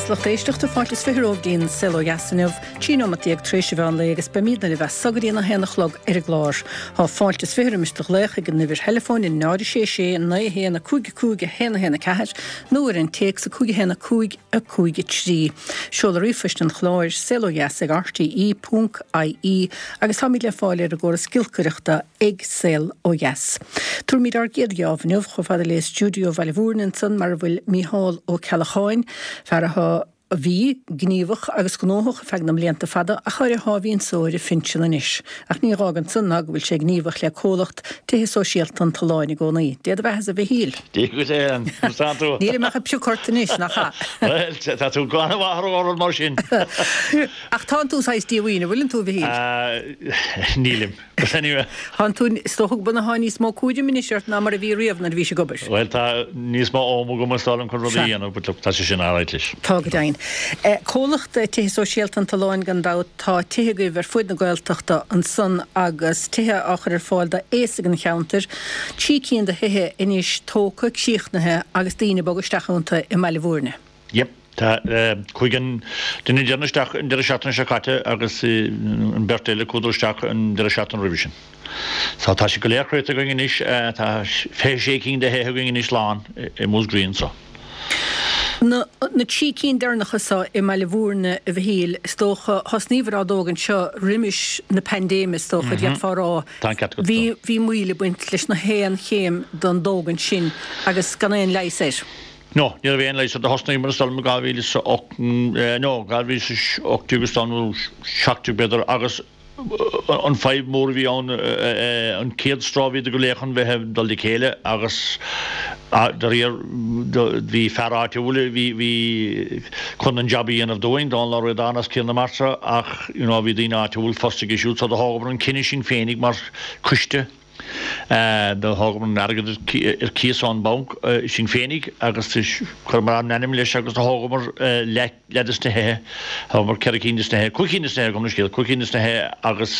beatha is lucht éisteachta, fáilte is 20 romhaibh dtí'n Saol Ó Dheas inniu, 13 nóimeat tar éis an mheán lae agus beimídne libh as so go dtí an 1 a chlog ar an gclár. Tá fáilte is 20 roimis do ghlaoch ag an uimhir theileafóin 0 6 6 9 1 5 5 1 1 4 nó ar an téacs 5 1 5 5 3. Seoladh ríomhphoist an chláir, saolodheas ag rte ponc ie agus táimid le fáil ar an gcóras giolcaireachta ag Saol Ó Dheas. Tabharfaimid ár gcéad gheábh inniu chomh fada le stiúideo Bhaile Mhúirne ansan mar a bhfuil Mícheál Ó Ceallacháin, fear atá, a bhí, gníomhach agus gnóthach ar feadh na mblianta fada ach ar a sháimhín só ar a phinsean anois. Ach ní dh'fhágann san ná go bhfuil sé gníomhach le comhlacht Tithe Sóisialta an tSuláin i gcónaí. Dé do bheathasa a Mhichíl! Dia dhuit a Ann, conas tánn tú? Nílim ach ag piocadh ort anois, nach ea? Bhuel, tá tú go han-mhaith ar rud mar sin. Ach tánn tú saghas díomhaoin, an bhfuileann tú, a Mhichíl? Nílim. But anyway. Thánn tú, is dócha go bhfuil níos mó cúraim anois ort ná mar a bhí riamh nuair a bhís ag obair. Bhuel, tá níos mó am agam is dóigh liom chun rudaí a dhéanamh, but look, tá sé sin alright leis. Tá go deimhin. Comhlacht Tithe Sóisialta an tSuláin gan dabht, tá tithe agaibh ar fuaid na Gaeltachta ansan agus tithe á chur ar fáil d'aosaigh an cheantair. Trí cinn de thithe anois tógtha, críochnaithe agus daoine ag bogadh isteach iontu i mBaile Bhúirne. Yep. Tá chuaigh an duine deireanach isteach an deireadh seachtaine seo caite agus an bheirt eile chuadar isteach an deireadh seachtaine roimhe sin. So tá siad go léir críochnaithe againn anois, tá 26 cinn de thithe againn anois lán i Múscraí anso. Na trí cinn deireanacha so i mBaile Bhúirne, a Mhichíl, is dócha, thosnaíobhair á dtógaint seo roimis na paindéime is dócha, d'fhéadfá a rá. Tá an ceart agat. Bhí, bhí moill ag baint leis na haon chéim den dtógaint sin agus gan aon leigheas air. No, ní raibh aon leigheas air. Do thosnaíomar is dóigh liom i 2008, no, 2018 is dóigh liom, nó 17 b'fhéidir, agus an fadhb mór a bhí ann, an chéad straw bhíodar go léir chun bheith ag dul le chéile agus dáiríre bhí fear áitiúil a bhí, bhí chun an jab a dhéanamh dúinn, Dónal Ó Ríordáin as Cill na Martra ach you know bhí daoine áitiúil fostaithe aige siúd so do thógamar an cinneadh sinn féinig mar choiste. Do thógamar an airgead ar cíos ón mbanc sinn féinig agus chuireamar ár n-ainm leis agus do thógamar leath des na thithe, thógamar 4 cinn des na thithe, 5 cinn des na thithe, gabh mo leithscéal, 5 cinn des na thithe agus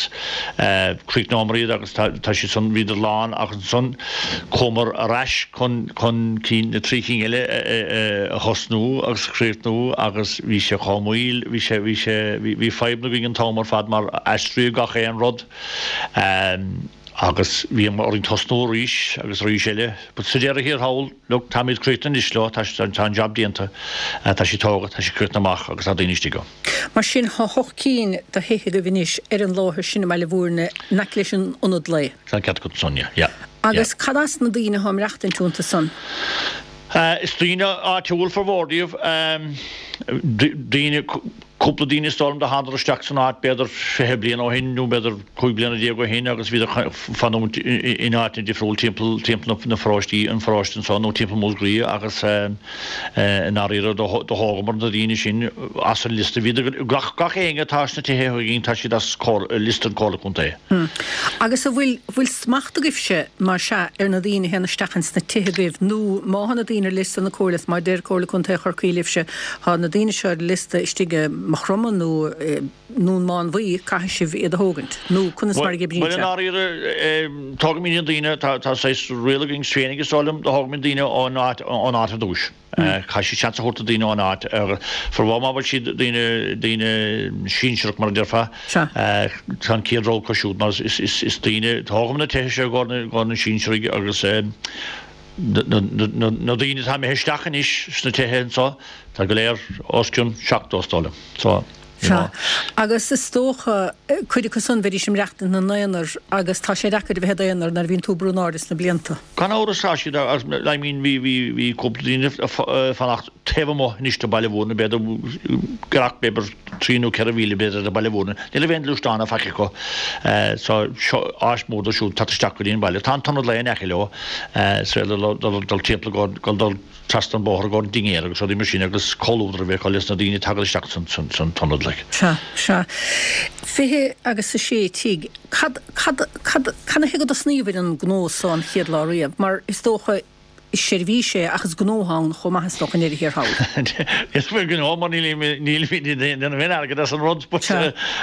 chríochnómar iad agus tá siad san, bhíodar lán ach ansan chuamar ar ais chun chun cinn, na trí cinn eile a thosnú agus a chríochnú agus bhí sé chomh moill, bhí sé, bhí sé, bhí fadhbanna againn an t-am ar fad mar aistríodh gach aon rud. Agus bhí orainn tosnú arís agus arís eile. But sa deireadh thiar thall, look, táimid críochnaithe anois leo, tá tá an job déanta, tá siad tógtha, tá siad críochnaithe amach agus tá daoine istigh ann. Mar sin, tá hocht cinn de thithe agaibh anois ar an láthair sin i mBaile Bhúirne, in aice leis an ionad lae. Tá an ceart agat ansan, yeah, yeah. Agus cad as na daoine atá ag maireachtaint iontu san? Is daoine áitiúil formhór díobh, daoine, cúpla daoine is dóigh liom do thánadar isteach san áit b'fhéidir 20 bliain ó shin nó b'fhéidir 15 bliana ó shin agus bhíodar ag fanúint in áiteanna difriúil timpeall timpeall na pharóistí, an pharóiste anso nó timpeall Mhúscraí agus i ndáiríre do thógamar na daoine sin as an liosta. Bhíodar, gach gach éinne atá sna tithe againn tá siad as liosta an Comhairle Contae. Agus an bhfuil bhfuil smacht agaibhse mar sea ar na daoine a théann isteach ins na tithe agaibh nó má thá na daoine ar liosta na Comhairle is má deir Comhairle Contae Chorcaí libhse Tá na daoine seo ar liosta istigh i Maigh Chromtha nó i nDún Mánmhaí, caithfidh sibh iad a thógaint. Nó conas mar a oibríonn sé? Bhuel, i ndáiríre, tógaimid na daoine, tá saghas riail againn féinig is dóigh liom, do thógaimid daoine ón áit, ón áit ar dtúis. Caithfidh siad seans a thabhairt do daoine ón áit. Formhór má bhfuil siad daoine, daoine sinsearach mar a déarfá, tá an chéad rogha acu siúd mar is daoine, tógaimid na tithe seo i gcomhair na sinsearaigh agus, Na daoine atá imithe isteach anois sna tithe anso, tá go léir os cionn 70 is dóigh liom. So, you know. Agus is dócha, cuid acu san, bheidís ag maireachtaint ina n-aonar agus tá sé deacair a bheith i d'aonar nuair a bhíonn tú ag brú in airde sna blianta. Gan amhras tá siad, I mean bhí, bhí, bhí cúpla daoine ag fanacht taobh amuigh anois de Baile Bhúirne, b'fhéidir giorracht b'fhéidir trí nó 4 mhíle b'fhéidir de Baile Bhúirne. Ní raibh aon ghluaisteán ná faic acu so seo áis mhór dóibh siúd teacht isteach go dtí an baile. Tá an t-ionad lae in aice leo is féidir leo dul timpeall go dul trasna an bóthar go an dinnéar agus rudaí mar sin agus comhluadar a bheith acu leis na daoine ag teacht isteach san t-ionad like. Sea, sea. 20 agus a sé tigh. Cad, cad, cad, cad ina thaobh go dtosnaíobhair an gnó so an chéad lá riamh? Mar is dócha. Is seirbhís é ach is gnó atá ann chomh maith is dócha i ndeireadh thiar thall. Is faoi gnó mar nílimid ag déanamh aon airgead as an rud but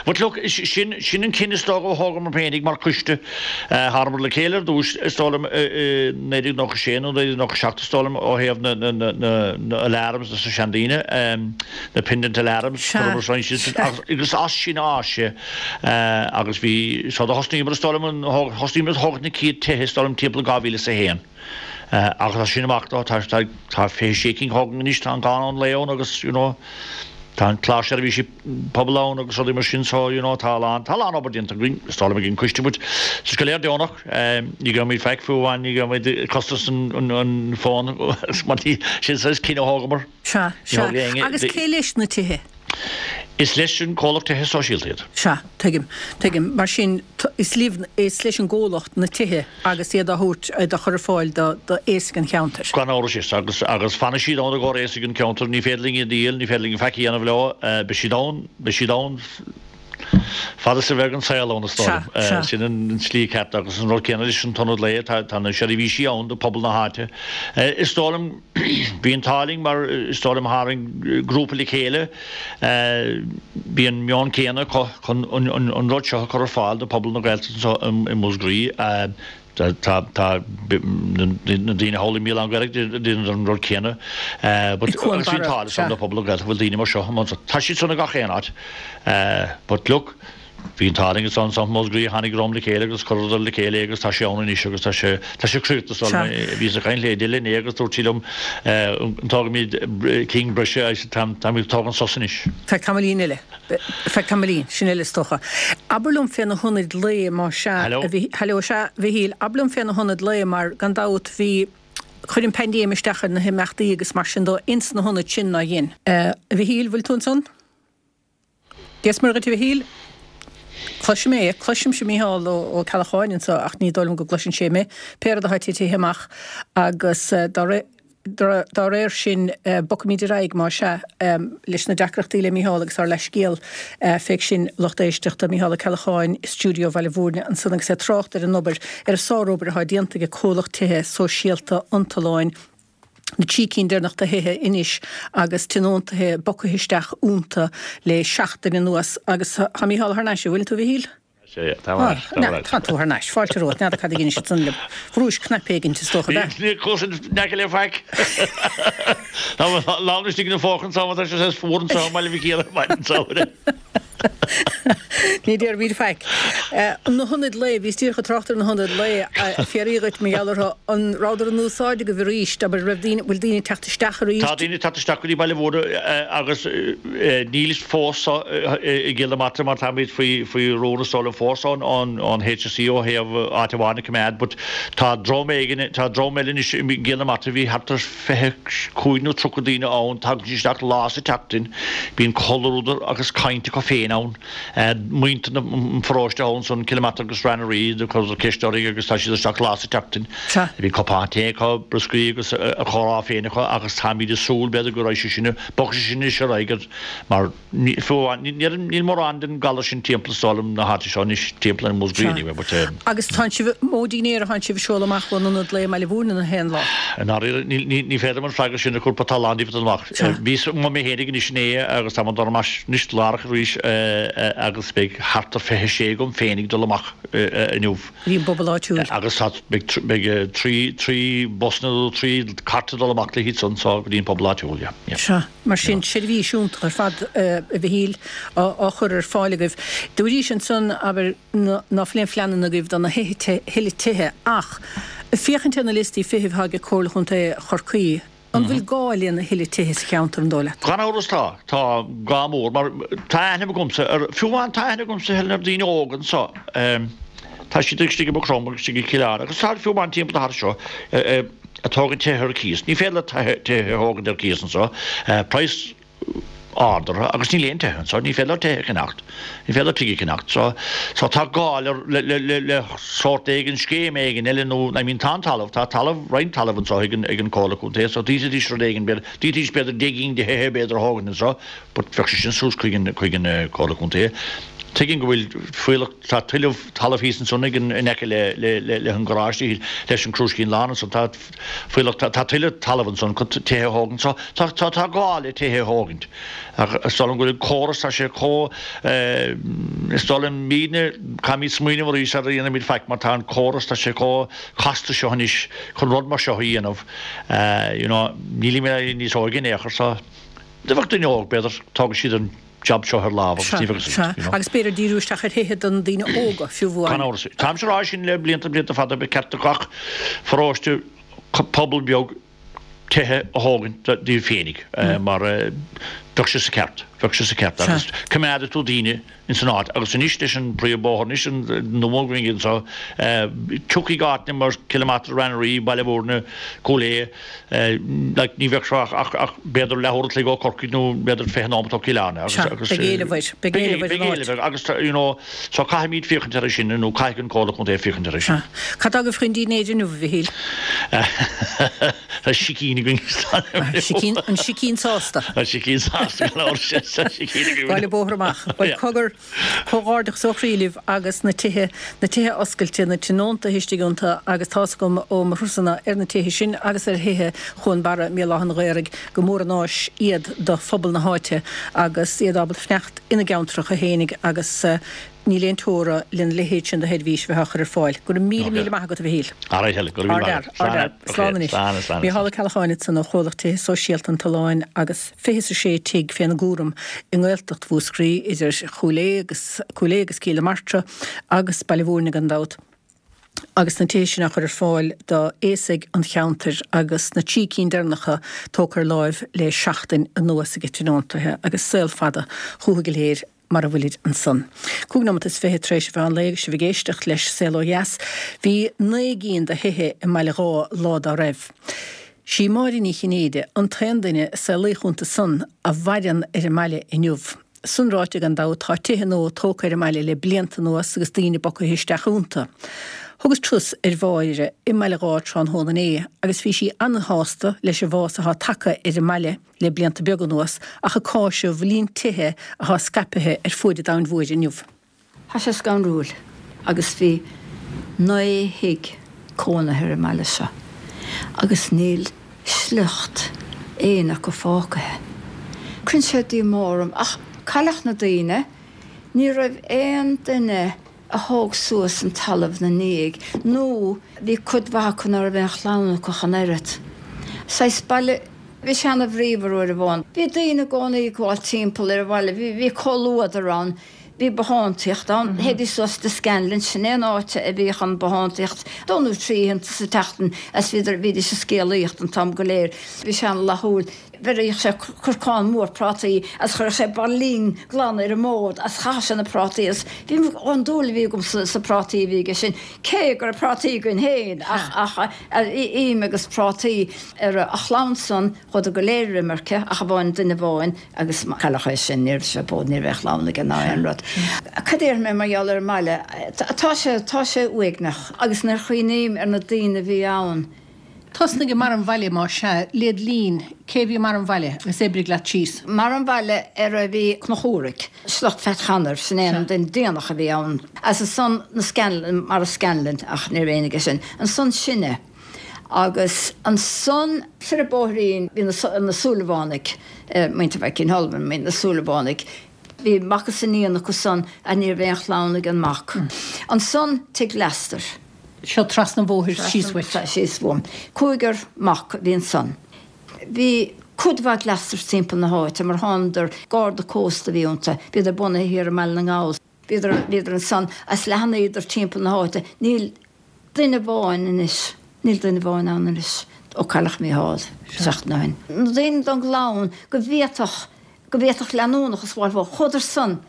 but look sin sin an cinneadh is dócha a thógamar féinig mar choiste. Thánamar le chéile ar dtús is dóigh liom i 1996 nó 1997 is dóigh liom ó thaobh na na na na na alarms dos na seandaoine na pendant alarms chuireamar roinnt agus as sin a fhás sé agus bhí so do thosnaíomar is dóigh liom thosnaíomar ag tógaint na chéad tithe is dóigh liom timpeall 2001. Agus as sin amach tá tá 26 cinn tógtha anois, tá an Crann Lae ann agus you know tá an clár seirbhísí pobail ann agus rudaí mar sin so you know tá a lán tá a lán obair déanta againn is dóigh liom ag an coiste but tá sé go léir deonach ní gheobhaimid faic fiú amháin ní gheobhaimid costas an an an fón mar ní sin saghas cinneadh a thógamar. Sea, sea. Agus cé leis na tithe? Is leis an comhlacht tithe sóisialta iad. Sea, tuigim, tuigim. Mar sin, is libh, is leis an gcomhlacht na tithe agus iad á thabhairt, iad á chur ar fáil do, do aosaigh an cheantair. Gan amhras, is. Agus, agus fanfaidh siad ann i gcomhair aosaigh an cheantair. Ní féidir linn iad a dhíol, ní féidir linn faic a dhéanamh leo. Beidh siad ann, beidh siad ann fad is a bheidh an saol ann, is dóigh liom. Sea, sea. Sin an tslí ceart agus an rud céanna leis an t-ionad lae, tá, tá na seirbhísí ann do phobal na háite. Is dóigh liom, Bhí an t-ádh linn mar is dóigh liom tharraing grúpa le chéile, bhí an meon céanna acu chun an rud seo a chur ar fáil do phobal na Gaeltachta anseo i Múscraí. Tá na daoine thall i mBéal Átha an Ghaorthaidh ag déanamh an rud céanna. But I gCuan agus bhí an Barra, t-ádh sea. le pobal na Gaeltachta go bhfuil daoine mar seo ann. Tá siad san i gach aon áit. But look, Bhí an t-ádh linn ansan i Múscraí tháinig dream le chéile agus chuireadar le chéile é agus tá sé ann anois agus tá sé tá sé críochnaithe is dóigh Sea. liom. Bhíos ag caint le Edel inné agus dúirt sí liom an dtógfaimid cinn breise I said táim táimid ag tógaint sos anois. Feadh tamaillín eile. Feadh tamaillín, sin eile is dócha. Abair liom fé na hionaid lae má sea Hello. a Mhí Hello sea a Mhichíl, abair liom fé na hionaid lae mar gan dabht bhí chuir an paindéim isteach ar na himeachtaí agus mar sin dó ins na hionaid sin nár dhein. A Mhichíl, bhfuil tú ansan? Dia is Muire dhuit a Mhichíl. Cloisim é, cloisimse Mícheál Ó Ceallacháin anso ach ní dóigh liom go gcloiseann sé mé. Pé rud atá titithe amach agus dá réir sin bogfaimid ar aghaidh más ea leis na deacrachtaí le Mícheál agus ár leathscéal féig sin lucht éisteachta Mícheál Ó Ceallacháin i stiúideo Bhaile Bhúirne ansan agus é ag trácht ar an obair, ar an sárobair atá déanta ag comhlacht tithe sóisialta an tSuláin. na 3 cinn deireanach de thithe anois agus tionóntaithe bogtha isteach iontu le seachtain anuas agus tá Mícheál thar n-ais, an bhfuil tú a Mhichíl? Sea, tá thar n-ais, tá thar n-ais. Tá tú thar n-ais, fáilte romhat, n'fheadar cad a dhein siad san libh, bhrúis cnaipe éigint is dócha, ab ea? Níor chuas in aice le faic. Tá mo lámh istigh ina phóca anso, tá sé saghas fuar anso i mBaile Mhic Íre ar maidin samhraidh. Ní déarfaimid faic. Na hionaid lae, bhíos díreach ag trácht ar na hionaid lae, fiafraí dhuit mar gheall orthu, an rabhadar in úsáid agaibh arís, abair, raibh daoine, bhfuil daoine ag teacht isteach arís? Tá daoine ag teacht isteach go dtí Baile Bhúirne agus níl fós i gCill na Martra mar táimid faoi faoi rún is dóigh liom fós ón ón HSE ó thaobh áit amháin a choimeád but tá dream éigin, tá dream eile anois i gCill na Martra, bhí thart ar 25 nó 30 daoine ann, tagann siad isteach lá sa tseachtain, bíonn comhluadar agus caint acu féin ann. Muintir an pharóiste thall ansan, Cill na Martra agus Srath na Rí, do chuireadar ceist orainn agus tá siad isteach lá sa tseachtain. Bíonn cupán tae acu, brioscaí agus a chomhrá féin acu agus táimid ag súil b'fhéidir go raibh sé sin, bogfaidh sé sin anois ar aghaidh mar Fiú amháin, níl mórán den galar sin timpeall is dóigh liom na háite seo anois, timpeall ar Mhúscraí anyway, but. Agus tánn sibh, mó dinnéar a thánn sibh ag seoladh amach ón ionad lae i mBaile Bhúirne na haon lá? I ndáiríre, ní féidir liom an freagra sin a chur but tá a lán díobh ag dul amach. Bhíos amuigh mé fhéinig anois inné agus tá mé ag dul amach anois láithreach arís agus beidh thart ar 26 agam féinig ag dul amach inniu. Go dtí an bpobal áitiúil. Agus tá, beidh 3 bus nó 3 cairt ag dul amach le hiad san so go dtí an pobal áitiúil, yeah, yeah. Sea. Mar sin, seirbhís iontach ar fad, a Mhichíl, á chur ar fáil agaibh. Dúraís ansan, abair, ná fuil aon phleananna agaibh do na thuilleadh tithe, ach ag féachaint ar na liostaí feithimh atá ag Comhairle Chontae Chorcaí, an bhfuil gá lena thuilleadh tithe sa cheantar, an dóigh leat? Gan amhras tá. Tá gá mór, mar tá aithne agamsa ar, fiú amháin tá aithne agamsa Helen ar daoine óga anso, tá siad istigh i Maigh Chromtha agus istigh i gCill Airne agus tá fiú amháin timpeall na háite seo, ag tógaint tithe ar cíos. Ní féidir leat tithe a thógaint ar cíos anseo. Praghas ard orthu agus níl aon tithe anseo. Ní féidir leat tithe a cheannacht. Ní féidir leat tigh a cheannacht. So, so tá gá le, le, le, le, le sórt éigin, scéim éigin eile nó, I mean tá an talamh, tá talamh, roinnt talaimh anseo ag an, ag an Comhairle Contae so d'fhéadfaidís rud éigin, b'fhéidir, d'fhéadfaidís b'fhéidir 10 gcinn de thithe b'fhéidir a thógaint anseo but bheadh sé sin suas chuig an, chuig an Comhairle Contae. Tuigim go bhfuil fuíollach, tá tuilleadh talaimh thíos ansan ag an, in aice le, le, le, le an garáiste, leis an Crúiscín Lán ansan, tá fuíollach, tá, tá tuilleadh talaimh ansan chun tithe a thógaint. So tá, tá, tá gá le tithe a thógaint. Ach is dóigh liom go bhfuil an córas, tá sé chomh, is dóigh liom, mídne, caithfimid smaoineamh arís sara dhéanfaimid faic mar tá an córas, tá sé chomh casta seo anois chun rud mar seo a dhéanamh. You know, nílimid níos óige in aon chor so dá mbeadh duine óg, b'fhéidir, tógfaidh siad an, jab seo ar lámh agus ní bheadh Sea, sea. you know. Agus b'fhéidir díriú isteach ar thithe do na daoine óga, fiú amháin. Gan amhras. Táimse ag rá sin le blianta, blianta fada, ba cheart do gach pharóiste, pobal beag tithe a thógaint dóibh féinig mar bheadh sé sa cheart, bheadh sé sa cheart agus coimeádfaidh tú daoine ins an áit agus anois leis an príomhbhóthar anois an nua againn anseo tiocfaidh áiteanna mar Cill na Martra, Rath na Rí, Baile Mhúirne, Cúil Aodha, Like, ní bheadh seo ach, ach b'fhéidir leathuair an chloig ó Chorcaigh nó b'fhéidir 20 nóimeat ó Chill Airne agus, Sea, agus, beidh éileamh air, beidh éileamh ar an áit. Beidh éileamh air agus, you know, so caithfimid féachaint air sin nó caithfidh an Comhairle Contae féachaint air sin. Sea. Cad tá agaibh chun dinnéir inniu, a Mhichíl? Tá sicín againn. Sicín, an sicín sásta. An sicín sásta, gan amhras, tá sicín againn. Baile bóthar amach. Bhuel, cogar. Comhghairdeachas ó chroí libh agus na tithe, na tithe oscailte, na tionóntaithe istigh iontu agus tá's agam ó mo thurasanna ar na tithe sin agus ar thithe Chuan Barra i mBéal Átha an Ghaorthaidh gur mór an áis iad do phobal na háite agus iad ábalta fanacht ina gceantracha fhéinig agus níl aon teora lena leithéid sin de sheirbhís a bheith á chur ar fáil. Go raibh míle míle maith agat a Mhichíl. Alright Helen, go raibh míle maith agat. Ardfhear, ardfhear. Slán anois. Slán, slán, Mícheál Ó Ceallacháin ansan ó Chomhlacht Tithe Sóisialta an tSuláin agus. 26 tigh féna gcúram i nGaeltacht Mhúscraí, idir Chúil Aodha agus Cúil Aodha agus Cill na Martra agus Baile Mhúirne gan dabht, agus na tithe sin á chur ar fáil d'aosaigh an cheantair agus na trí cinn deireanacha tógtha ar láimh le seachtain anuas ag tionóntaithe agus saol fada chúthu go léir mar a bhfuilid ansan. 25 nóimeat tar éis an mheán lae agus sibh ag éisteacht leis Saol Ó Dheas. Bhí 9 gcinn de thithe i mBaile Dháith lá dá raibh. Sí Máire Ní Chinnéide an t-aon duine a saolaíodh iontu san a mhaireann ar an mbaile inniu. San ráite gan dabht tá tithe nua tógtha ar an mbaile le blianta anuas agus daoine bogtha isteach iontu. Thugas turas ar Mháire i mBaile Dháith tráthnóna inné agus bhí sí an-shásta leis an bhfás atá tagtha ar an mbaile le blianta beaga anuas ach ag cáiseamh líon tithe atá scaipthe ar fuaid an domhain mhóir inniu. Tá sé scanrúil agus bhí 9 thigh cónaithe ar an mbaile seo agus níl sliocht éinne acu fágtha. Cuireann sé díomá orm ach cailleadh na daoine, ní raibh aon duine a thóg suas an talamh 'na ndiaidh nó bhí cuid mhaith acu ná raibh aon chlann acu ach an oiread. Saghas baile. Bhí sé ana bhríomhar uair amháin. Bhí daoine i gcónaí ag gabháil timpeall ar an bhaile. Bhí, bhí comhluadar ann. Bhí bothántaíocht ann. Théidís suas to Scanlon, sin é an áit a bhíodh an bothántaíocht. Dó nó trí oícheanta sa tseachtain as bhíodar, bhídís ag scéalaíocht an t-am go léir. Bhí sé ana fhlaithiúil. Bheireadh sé corcán mór prátaí as chuireadh sé bairillín glan ar an mbord as chaitheadh sé na prátaí as bhí an dúil a bhí agam sa, sa prátaí a bhí aige sin. Cé go raibh prátaí againn féin ach, ach im agus prátaí. Ar a chlann san, chuadar go léir ar imirce, ach amháin duine amháin, agus cailleadh é sin, ní raibh sé bó, ní raibh aon chlann aige ná aon rud. Cad a déarfaidh mé mar gheall ar an mbaile? Tá sé, tá sé uaigneach, agus nuair a chuimhním ar na daoine a bhí ann. Tosnaigh i mbarr an bhaile, más ea, led linn, cé a bhí i mbarr an bhaile, agus oibrigh leat síos. I mbarr an bhaile ar a bhí Conchúraigh, sliocht Phat Chanair, sin é an duine déanach a bhí ann. As ansan na Scanlon, mar a Scanlon, ach ní raibh éinne aige sin. Ansan sinne. Agus ansan soir an bóithrín bhí na Súilleabhánaigh, muintir Mhaidhcín Shullivan, na Súilleabhánaigh. Bhí mac is iníon acu san ach ní raibh aon chlann ag an mac. Ansan tigh Leastair. Seo trasna an bhóthair síos uait. Síos uaim. Cúigear mac a bhí ansan. Bhí cuid mhaith Leasters timpeall na háite mar thánadar, garda cósta a bhí iontu. Bhíodar bunaithe thiar i mBaile na nGall. Bhíodar, bhíodar ansan as leathnaíodar timpeall na háite. Níl duine amháin anois, níl duine amháin ann anois ó cailleadh Mícheál seachtain ó shin. Na daoine don gclann go bhféadfadh, go bhféadfadh leanúnachas a fháil, chuadar san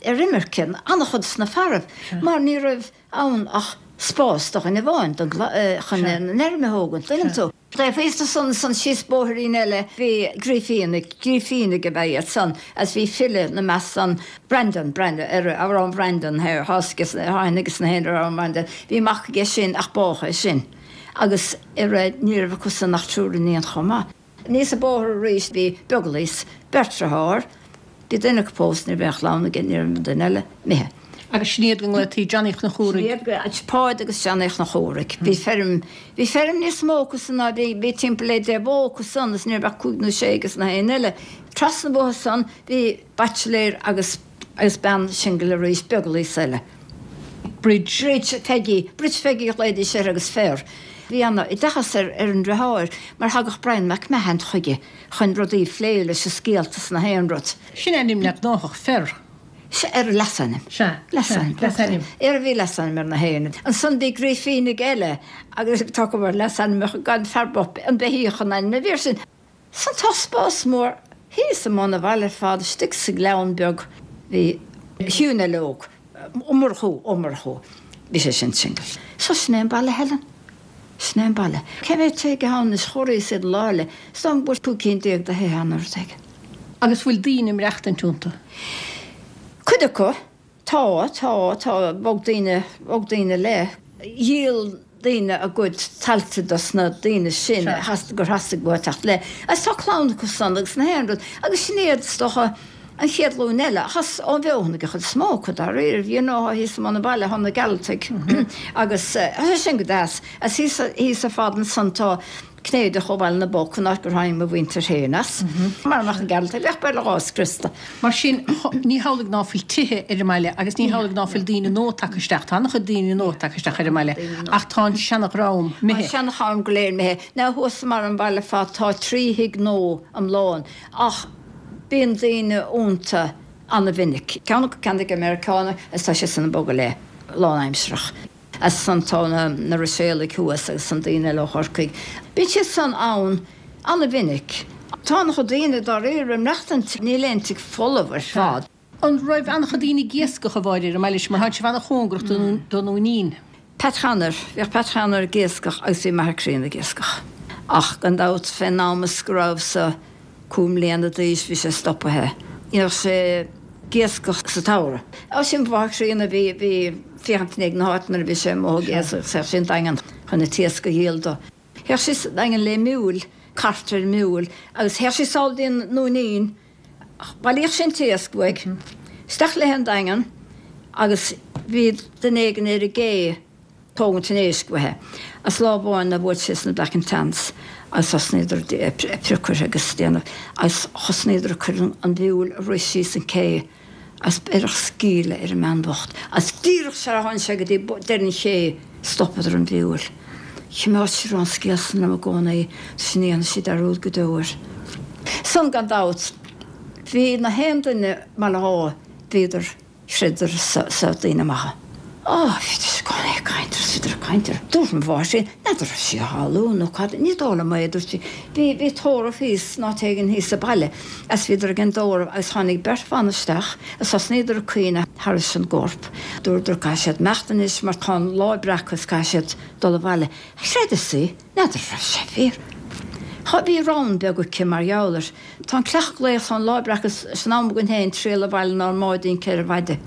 ar imirce, an-chuid de na fearaibh, mar ní raibh ann ach spás do dhuine amháin don, chun an fheirm a thógaint, tuigeann tú. Taobh thíos de san, san síos bóithrín eile bhí Grífínigh, Grífínigh ab ea iad san, agus bhí file 'na measc san, Breandán, Breandán, ar Amhrán Bhreandáin, tháinig aige san fhéin ar Amhrán Bhreandáin, bhí mac aige sin ach bádh é sin, agus ar ní raibh acu san ach triúr iníon chomh maith. Aníos an bóthar arís bhí Beaglaois, beirt driotháir. Bhí duine acu pósta, ní raibh aon chlann aige, ní raibh an duine eile imithe. Agus sin iad go nglaotaí Johnny Chnoc Chumhraigh. Sin iad, Páid agus Johnny Chnoc Chumhraigh. Bhí feirm, bhí feirm níos mó acu san ná bhí, bhí timpeall le 10 bó acu san agus ní raibh ach cúig nó sé aige na haon eile. Trasna an bhóthair san bhí baitsiléir agus, agus bean singil arís, Beaglaois eile. Bridge. Bridge Pheigí, Bridge Pheigí a ghlaoidís uirthi agus fer. Bhí ana oideachas ar, ar an dreatháir mar thagadh Brian McMahon chuige chun rudaí a phlé leis is scéalta is na haon rud. Sin ainm le gnáthach fer. Sea, ar leasainm. Sea, leasainm. Leasainm. Ar bhí leasainm ar na héinne. Ansan bhí Grífínigh eile agus tá go bhfuil leasainmneacha gan fear bocht an beithíoch an ainm a bhí air sin. San tá spás mór thíos i mbun an bhaile ar fad istigh sa ghleann beag bhí Hugh Neil Óg, Ó Murchú, Ó Murchú, bhí sé sin single. So sin é an baile Helen. Sin é an baile. Cé mhéad tigh atá ann anois? Chomhairíos iad an lá eile. Is dóigh liom go bhfuil 15 cinn de thithe ann nó rud éigin. Agus bhfuil daoine ag maireachtaint iontu? Cuid acu. Tá, tá, tá. Bhog daoine, bhog daoine le. Dhíol daoine a gcuid tailte dos na daoine sin a theastaigh, gur theastaigh uathu teacht le. Agus tá clann acu san agus na haon rud. Agus sin iad, is dócha. An chéad ghlúin eile, ach as ón bhFeothanaigh an chuid is mó acu, dáiríre, you know, thíos i mbun an bhaile, thá na Gearaltaigh agus tá sé sin go deas. Agus thíos, thíos ar fad ansan tá Cnéideach ó Bhaile na bPoc, an áit gur tháinig mo mhuintir féin as. Mara mbeadh na Gearaltaigh, bheadh Baile Átha scriosta. Mar sin, ní hamhlaidh ná fuil tithe ar an mbaile agus ní hamhlaidh ná fuil daoine nua tagtha isteach, tá an-chuid daoine nua tagtha isteach ar an mbaile ach tá an seanadhream imithe. Tá an seanadhream go léir imithe. Now thuas i mbarr an bhaile ar fad tá 3 thigh nua iomlán ach, Bíonn daoine iontu ana-mhinic. Ceann acu ceannaithe ag Meiriceánach agus tá sé san ag bogadh le lánaimsearach. Agus ansan tá na Ruiséalaigh thuas agus an daoine eile ó Chorcaigh. Bíonn siad san ann ana-mhinic. Tá ana-chuid daoine dáiríre ag maireachtaint, níl aon tigh folamh ar fad. An raibh an-chuid daoine ag iascach, a Mháire, ar an mbaile seo, mar tá sibh an-chóngarach don Dúinín? Pat Chanair, Bhíodh Pat Chanair ag iascach agus bhí m'athair críonna ag iascach. Ach gan dabht fén am is go rabhas-sa cúig mbliana d'aois bhí sé stopaithe. Ní raibh sé ag iascach sa tsamhradh. Á sin mo mháthair chríonna bhí bhí féachaint i ndiaidh na háite nuair a bhí sé amuigh ag iascach théadh sí an Daingean chun an t-iasc a dhíol dó. Théadh sí sa Daingean le miúil, cairt ar mhiúil agus théadh sí sall dtí an nDúinín Bhailíodh sí an t-iasc uaidh, isteach léi an Daingean agus bhí duine éigin ar an gcé tógaint an éisc uaithi. Agus lá amháin bhuail sé sna Black and Tans agus thosnaíodar ag priocadh uirthi agus déanamh agus thosnaíodar ag cur an mhiúil ag rith síos an cé agus beireadh scaoileadh ar an mbean bhocht agus díreach sar a tháinig sé go dtí deireadh an ché stopadar an mhiúil. Choimeád sí an scéal san liom i gcónaí 's ní dhéanfaidh sí dearúd go deo air. San gan dabht bhí na haon duine i mBaile Átha bhíodar chreideadar sa daoine maithe. Á, bhídís i gcónaí ag caint air 's bhíodar ag caint air. Dúirt mo mháthair féin, n'fheadar raibh sí á shamhlú nó cad, ní dóigh liom é, a dúirt sí. Bhí, bhí tórramh thíos in áit éigin thíos sa baile agus bhíodar ag an dtórramh agus tháinig beirt bhan isteach agus thosnaíodar ag caoineadh thairis an gcorp. Dúradar caithfidh siad imeacht anois mar tá an lá ag breacadh is caithfidh siad dul abhaile. Chreideas í, n'fheadar raibh sé fíor. Chá, bhí rann beag aici mar gheall air. Tá an cleach ag glaoch, tá an lá ag breacadh 's an am againn féin triall abhaile 'nár mbáidín 4 mhaide.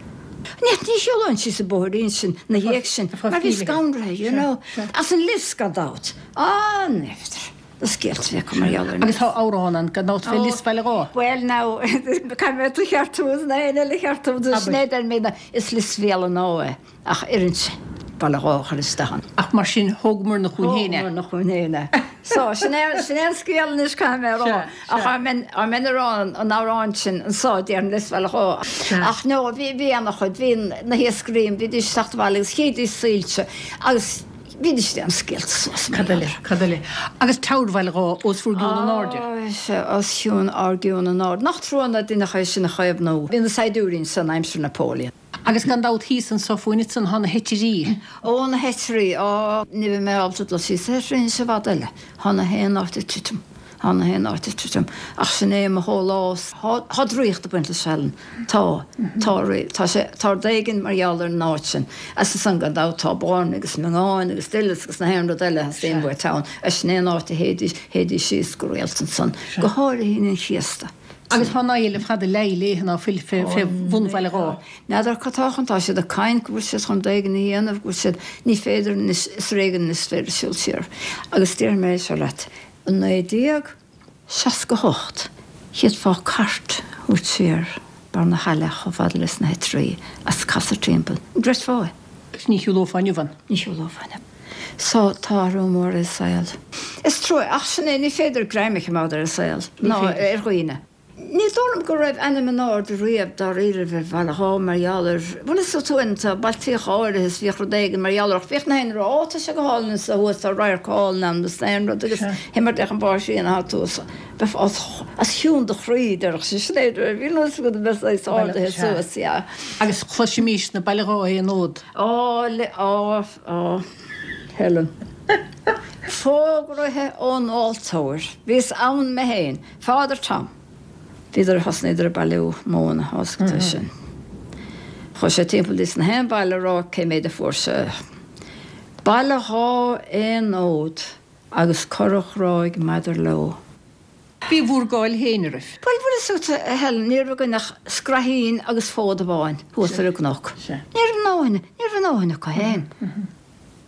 Ní, ní shiúlóinn síos an bóithrín sin 'na dhiaidh sin mar bhí scanraithe, you know. As an lios gan dabht. Ah, n'fheadar. Na scéalta a bhí acu mar gheall ar an Agus tá amhrán ann gan dabht fé Lios Bhaile Átha. Bhuel now, caithfidh mé tú a cheartú is na héinne eile a cheartú, sin é deir mé, is Lios Bhéal an Átha é. Ach oireann sé Baile Átha a chur isteach ann. Ach mar sin, thógamar-na chugainn féin é. Thógamar-na chugainn féin é. So, sin é, sin é an scéal anois, caithfidh mé a rá. Ach dá mbeinn, dá mbeinn ag rá an amhráin sin anso, déarfainn Lios Bhaile Átha. Ach no, bhí, bhí ana-chuid, bhí na hiascairí, bhídís ag teacht abhaile agus chídís soilse agus bhídís ag déanamh scéalta suas mar Cad eile, cad eile? Agus Teamhair Bhaile Átha os bhur gcionn in airde. Á, sea, os cionn ár gcionn in airde. Nach trua ná deineadh é sin a chaomhnú. Bhí na saighdiúirí ansan aimsir Napoleon. Agus gan dabht thíos anso fúinn ansan thá na heitirí. Ó, na heitirí, á, ní bheidh mé ábalta dul síos na heitirí anois i bhfad eile. Thá na haon áit ag titim. Thá na haon áit ag titim. Ach sin é mo shólás. Thá, thá draíocht ag baint leis Helen. Tá. Tá, tá sé, tá rud éigin mar gheall ar an áit sin. Agus ansan gan dabht tá Boirne agus Miongáin agus Doileas agus na haon rud eile a theastaíonn uait ann. Agus sin é an áit a théidís, théidís síos go rialta ansan. Go háirithe Aoine an Chéasta. Agus tá an fhaill fada leí léithe ná fuil fé bhun Bhaile Átha. N'fheadar cad tá chun, tá siad ag caint go bhfuil siad chun rud éigin a dhéanamh, go bhfuil siad, ní féidir anois, is ar éigean anois is féidir siúl siar. Agus déarfaidh mé é seo leat, i 1968, d'fhéadfá cairt a thabhairt siar. Barr na hAille chomh fada leis na hOitrí as casadh timpeall. An gcreidfeá é? Agus ní shiúlófá inniu ann. Ní shiúlófá inniu. So, tá athrú mór ar an saol. Is trua, ach sin é, ní féidir greim a choimeád ar an saol, ná ar dhaoine. Ní dóigh liom go raibh ainm in airde riamh dáiríribh ar Bhaile Dhá mar gheall ar, bhuel is tú an, tá bailtíocha áirithe is bhíodh rud éigin mar gheall air ach bhíodh na haon rud, ó tá sé go hálainn anso thuas, tá radharc álainn ann agus na haon rud agus mar d'fhéach an báistí ina atá tú bheifeá os cionn do chroí, déarfadh sé, sin é, bhí nós agat a bheith saghas ardaithe suas, yeah. Agus chloisimis na Baile Dhá aon fhód. Á, le, á, á, Helen. Fógraithe ón altóir. Bhíos ann mé féin. Father Tom. Bhíodar, thosnaíodar ag bailiú móna, tá sin. Chuaigh sé timpeall dtí sna haon baile a rá cé méid a fuair sé. Baile Dhá aon fhód agus cora Ghráig maidir leo. Bhí bhur gcáil féin oraibh. Bhuel, bhfuil fhios agat, a Helen, ní raibh againn ach scraithín agus fód amháin thuas ar an gcnoc. Ní raibh a ndóthain, ní raibh a ndóthain acu féin.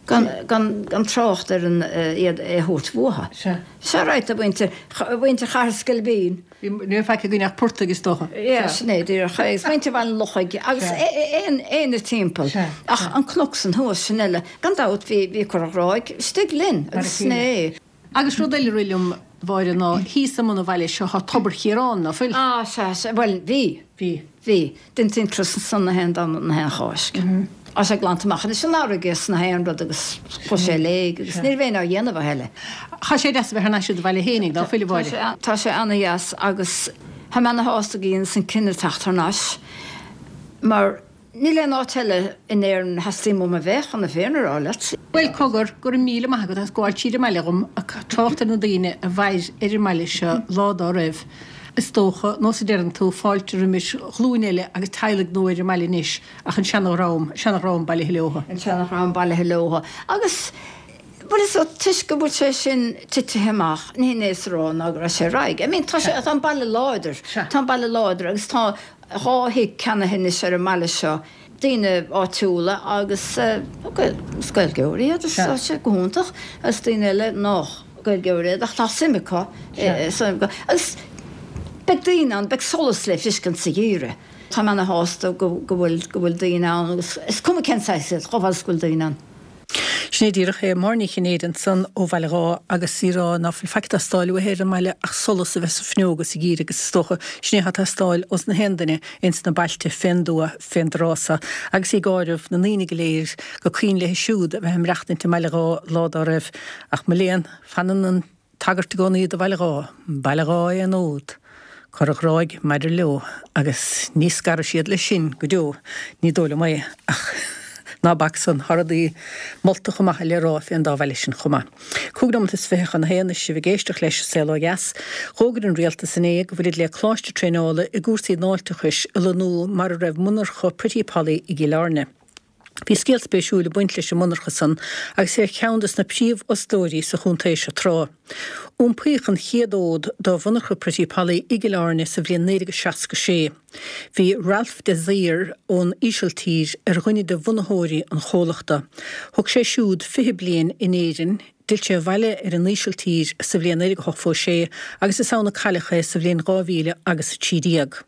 Gan, gan, gan trácht ar an, iad é a thabhairt uathu. Sea. Sea, right, a mhuintir, a mhuintir Chathair Sceilpín. Ní raibh faic againn ach portaigh, is dócha. Yeah, sin é, díreach. Agus muintir Bhaile an Lochaigh agus aon, éinne timpeall. Ach an cnoc san thuas, sin eile. Gan dabht, bhí, bhí Cora Ghráig istigh linn agus sin é. Agus rud eile a rith liom, a Mháire, ná thíos i mbun an bhaile seo tá Tobar Chiaráin, ná fuil? Ah, sea, sea, bhuel, bhí. Bhí. Bhí. Deintí an turas ansan na haon Domhnach na haon Cháisc. Tá sé glanta amach anois an fharraige is na haon rud agus chuaigh sé i léig agus ní raibh éinne á dhéanamh a thuilleadh. Tá sé deas a bheith thar n-ais i do bhaile fhéinig, ná fuil, a Mháire? Tá sé ana-dheas agus tá mé ana-shásta go dheineas an cinneadh teacht thar n-ais mar Níl aon áit eile in Éirinn a theastaíonn uaim a bheith, chun na fírinne a rá leat. Bhuel, cogar, go raibh míle maith agat as gabháil tríd an mbaile dhom ag trácht ar na daoine a mhair ar an mbaile seo lá dá raibh, is dócha, nós a deireann tú, fáilte roimis ghlúin eile agus teaghlaigh nua ar an mbaile anois ach an seana-dhream, seana-dhream bailithe leotha. An seana-dhream bailithe leotha. Agus, bhuel, is toisc go bhfuil sé sin titithe amach, ní hin é is a rá ná go raibh sé ar aghaidh. I mean, tá sé, tá an baile láidir, tá an baile láidir agus tá, 2 thigh ceannaithe anois ar an mbaile seo, daoine áitiúla agus is Gaeilgeoirí iad is tá sé go hiontach agus daoine eile nách Gaeilgeoirí iad ach tá suim acu agus beidh daoine ann, beidh solas le fiscint sa gheimhreadh. Tá mé ana shásta go bhfuil go bhfuil daoine ann agus is cuma cén saghas iad, chomh fada is go bhfuil daoine ann. Sin é díreach é. Máire Ní Chinnéide ansan ó Bhaile Dhá agus í ag rá ná fuil faic ag teastáil uaithi ar an mbaile ach solas a bheith sa bhfuinneog sa gheimhreadh agus is dócha sin é atá ag teastáil ós na haon duine ins na bailte fén dtuath fén dtráth so agus í ag áireamh na ndaoine go léir go cuimhin léi siúd a bheith ag maireachtaint i mBaile Dhá lá dá raibh ach mo léan fanann an Tagairt i gcónaí do Bhaile Dhá, Baile Dhá aon fhód, Cora Ghráig maidir leo, agus ní scarfaidh siad leis sin go deo, ní dóigh liom é, ach ná bac san, tá rudaí moltacha maithe le rá fén dá bhaile sin chomh maith. 25 nóimeat chun a haon is sibh ag éisteacht leis An Saol Ó Dheas. Dh'fhógair an Rialtas inné go bhfuilid le coláiste traenála i gcúrsaí náilteachais a lonnú mar a raibh monarcha Pretty Polly i gCill Airne. Bhí scéal spéisiúil ag baint leis an monarcha san agus é ar cheann des na príomhfhostóirí sa chontae seo tráth. Iompaíodh an chéad fhód do mhonarcha Pretty Polly i gCill Airne sa bhliain 1966. Bhí Ralph de Zoer ón Ísiltír ar dhuine de bhunaitheoirí an chomhlachta. Thug sé siúd 20 bliain in Éirinn, d'fhill sé abhaile ar an Ísiltír sa bhliain 1986 agus is ann a cailleadh é sa bhliain 2013.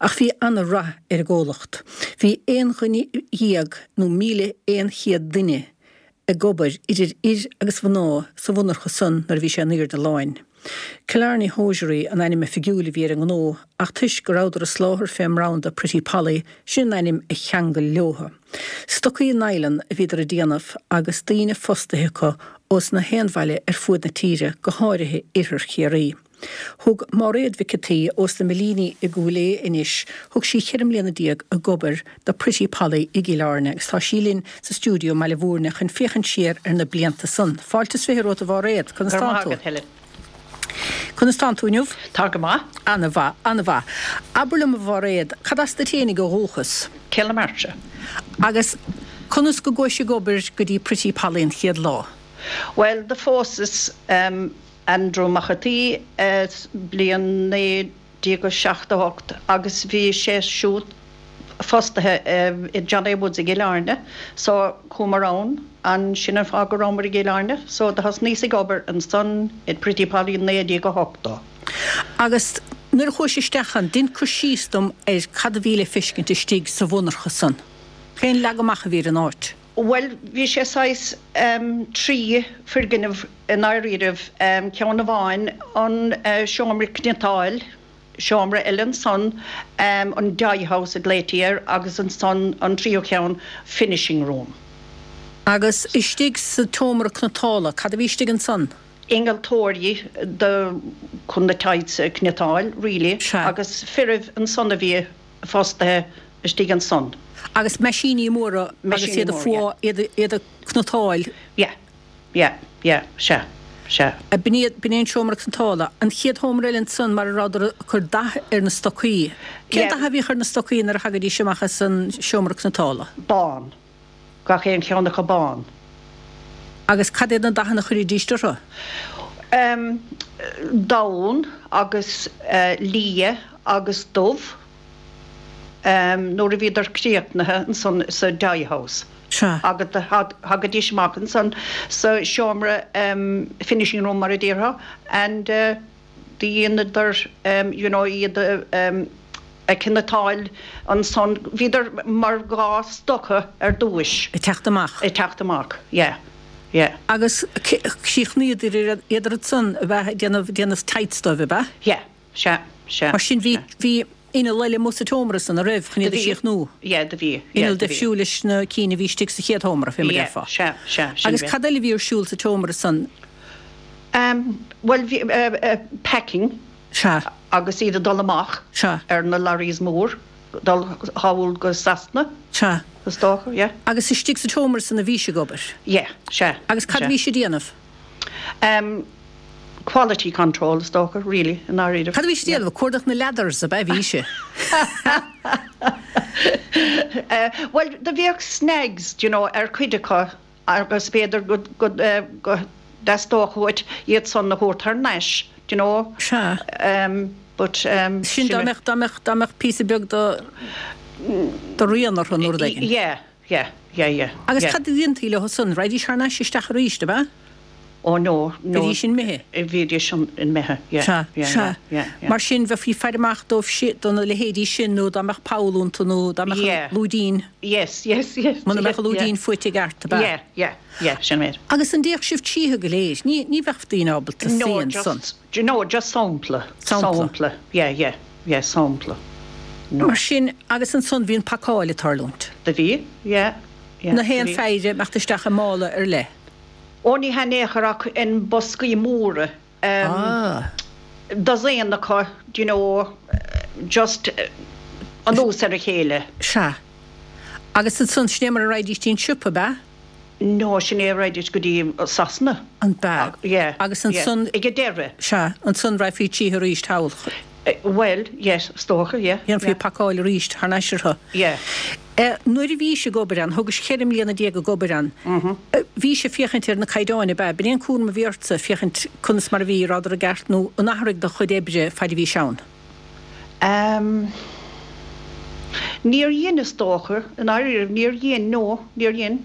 Ach bhí ana-rath ar an gcomhlacht. Bhí aon dhuine dhéag nó 1,100 duine ag obair idir fhir agus mhná sa mhonarcha san nuair a bhí sé in aoirde láin. Killarney Hosiery an ainm oifigiúil a bhí ar an ngnó ach toisc go rabhadar ag soláthar fén mbranda Pretty Polly sin an ainm a cheangail leotha. Stocaí nylon a bhíodar ag déanamh agus daoine fostaithe acu ós na haon bhaile ar fuaid na tíre, go háirithe Iarthar Chiarraí. Thug Máiréad Mhic an tSaoi ós na Millíní i gCúil Aodha anois, thug sí cheithre mbliana déag ag obair do Pretty Polly i gCill Airne agus tá sí linn sa stiúideo i mBaile Mhúirne chun féachaint siar ar na blianta san. Fáilte is 20 romhat a Mháiréad, conas Go raibh tánn maith tú? agat, Helen. Conas tánn tú inniu? Tá go maith. Ana-mhaith, ana-mhaith. Abair liom a Mháiréad, cad as duit fhéinig ó dhúchas? Cill na Martra. Agus conas go gcuais ag obair go dtí Pretty Polly an chéad lá? Bhuel, do phósas Andrew Mac an tSaoi bliain 1978 agus bhí sé siúd fostaithe i John A. Woods i gCill Airne so chuamar ann an sin an fáth go rabhamar i gCill Airne so do thosnaíos ag obair ansan i Pretty Polly 1980. Agus. Nuair a chuais isteach ann, dein cur síos dom ar cad a bhí le feiscint istigh sa mhonarcha san. Cén leagadh amach a bhí ar an áit? Bhuel, bhí sé saghas 3 foirgneamh i ndáiríribh, ceann amháin an seomra cniotáil, seomra eile ansan, an dye house a ghlaoití air, agus ansan an tríú ceann, finishing room. Agus istigh sa tseomra cniotála, cad a bhí istigh ansan? Innealtóirí do chun na tights a chniotáil, really, agus firibh ansan a bhí fostaithe istigh ansan. Agus meaisíní móra agus iad a fuá, iad a cniotáil. Yeah, yeah, yeah, sea, sea. B'in iad, b'in é an seomra cniotála. An chéad sheomra eile ansan mar a rabhadar ag cur dath ar na stocaí. Cén dath a bhíodh ar na stocaí nuair a thagaidís amach as an seomra cniotála? Bán. Gach aon cheann acu bán. Agus cad iad na dathanna a chuiridíst orthu? Donn agus liath agus dubh. Nuair a bhíodar críochnaithe ansan sa dye house. Sea. Agus thagaidís amach ansan sa seomra finishing room mar a déarfá and do dheineadar you know iad a chniotáil ansan, bhíodar mar dhá stoca ar dtúis. Ag teacht amach. Ag teacht amach, yeah, yeah. Agus chríochnaíodar iad ansan a bheith ag déanamh, déanamh tights dóibh, ab ea? Yeah, sea, sea. Mar sin bhí, bhí inneall eile amuigh sa tseomra san, a raibh, chun iad a chríochnú? Yeah, do bhí, yeah, Inneall do bhí. difriúil leis na cinn a bhí istigh sa chéad sheomra, fé mar Yeah, déarfá. sea, sea, sin Agus é. cad eile a bhí ar siúl sa tseomra san? Em, bhuel bhí, eh, eh, packing. Sea. Agus iad ag dul amach. Sea. Ar na lorries mór, dul thall go Sasana. Sea. Is dócha, yeah. Agus istigh sa tseomra san a bhís ag obair? Yeah, sea. Agus cad a sea. bhís ag déanamh? Em, quality control is dócha, really, i ndáiríre. Cad a bhís ag déanamh? Ag cuardach na leathers, ab ea a bhís? Eh, bhuel, do bhíodh snags, do you know, ar chuid acu agus b'fhéidir go, go, eh, go dteastódh uait iad san a thabhairt thar n-ais, do you know. Sea. Em, but, em, Sin dá mbeadh, dá mbeadh, dá mbeadh píosa beag de, de rian orthu nó rud éigin. Yeah, yeah, yeah, yeah. Agus yeah. cad a dhéantaí leo san? Raghaidís thar n-ais isteach arís, ab ea? Oh no, no. Bhídís imithe? Bhídís imithe, yeah. Sea, yeah, sea. yeah, yeah, yeah. Mar sin, bheifí ag faire amach dóibh si, do na leithéidí sin nó dá mbeadh poll iontu nó dá mbeadh Yeah. an lúidín, Yes, yes, yes. muna mbeadh an yeah, lúidín fuaite i gceart, ab ea? Yeah, yeah, yeah, sin é. Agus an dtéadh sibh tríothu go léir? Ní, ní bheadh daoine ábalta No, suí ansan. just, no, just sampla. Sampla. Sampla, yeah, yeah, yeah, sampla. No. Mar sin, agus ansan bhí an pacáil ag tarlúint. Do bhí, yeah, yeah. Na haon do bhí. phéire ag imeacht isteach i mála ar leith. Ó ní hea in aon chor ach in boscaí móra. Ah. Dosaen acu, do you know, just anuas ar a chéile. Sea. Agus ansan, sin é mar a raghaidís dtí an siopa, ab ea? No, sin é a raghaidís go dtí Sasana. An b'ea? Yeah. Agus ansan. Ag an deireadh. Sea. Ansan raghfaí tríothu arís thall. Bhuel, yes, is dócha, yeah. Dhéanfaí pacáil arís thar n-ais orthu. Yeah. Nuair a bhís ag obair ann, thugais 14 mbliana ag obair ann, bhís ag féachaint ar na caighdeáin, ab ea? B'in é an cúram a bhí ortsa, féachaint conas mar a bhí, rabhadar i gceart nó an athraigh do chuid oibre faid a bhís ann? Em. Níor dhein, is dócha, i ndáiríre, níor dhein, no, níor dhein.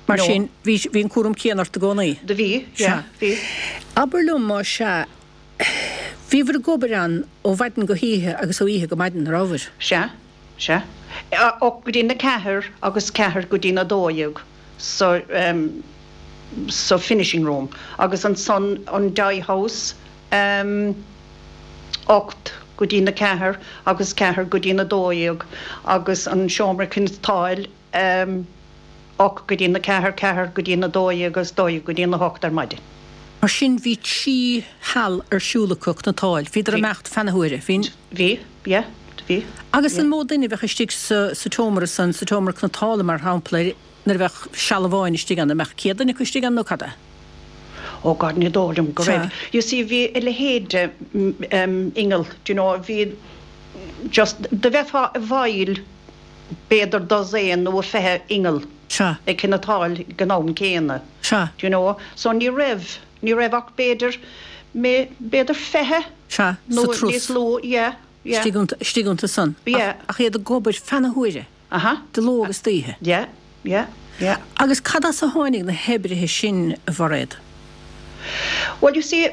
Mar sin, bhí, bhí an cúram céanna ort i gcónaí? Do bhí, yeah, bhí. Abair liom, más ea, bhíobhair ag obair ann ó mhaidin go hoíche agus ó oíche go maidin, an rabhabhair? Sea, sea. 8 go dtí na ceathair agus ceathair go dtí na 12 sa, sa finishing room agus ansan an dye house, 8 go dtí na ceathair agus ceathair go dtí na 12 agus an seomra cniotáil, 8 go dtí na ceathair, ceathair go dtí na 12 agus 12 go dtí na hocht ar maidin. Mar sin bhí 3 sheal ar siúl acu ag cniotáil. Bhíodar ag imeacht feadh na huaire. Bhí. Bhí, yeah, bhí. Agus an mó duine a bheadh istigh sa sa tseomra san, sa tseomra cniotála mar shampla, nuair a bheadh seal amháin istigh ann, an mbeadh 100 duine acu istigh ann nó cad é? Oh God, ní dóigh liom go raibh. You see, bhí a leithéid de inneall, do you know, bhí just, do bheifeá i bhfeighil b'fhéidir dosaen nó 20 inneall Sea. ag cniotáil ag an am céanna. Sea. Do you know? So ní raibh, ní raibh ach b'fhéidir, b'fhéidir 20 Sea, nó sa truss. níos lú, yeah, yeah. Istigh iontu, istigh iontu san. Yeah. Ach, ach iad ag obair feadh na huaire. Aha. De ló agus d'oíche. Yeah, yeah, yeah. Agus cad as a tháinig na hoibrithe sin, a Mhairéad? Well, you see,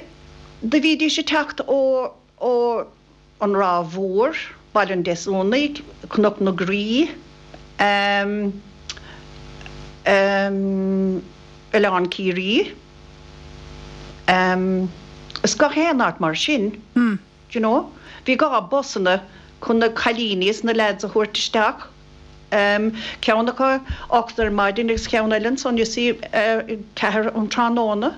do bhídís ag teacht ó. ó An Ráth Mhór, Baile an Deasúnaigh, Cnoc na Graí, Oileán Ciarraí, is gach aon áit mar sin, do you know. Bhí gá busanna chun na cailíní is na leaids a thabhairt isteach, ceann acu 8 ar maidin agus ceann eile ansan, you see, 4 um tráthnóna.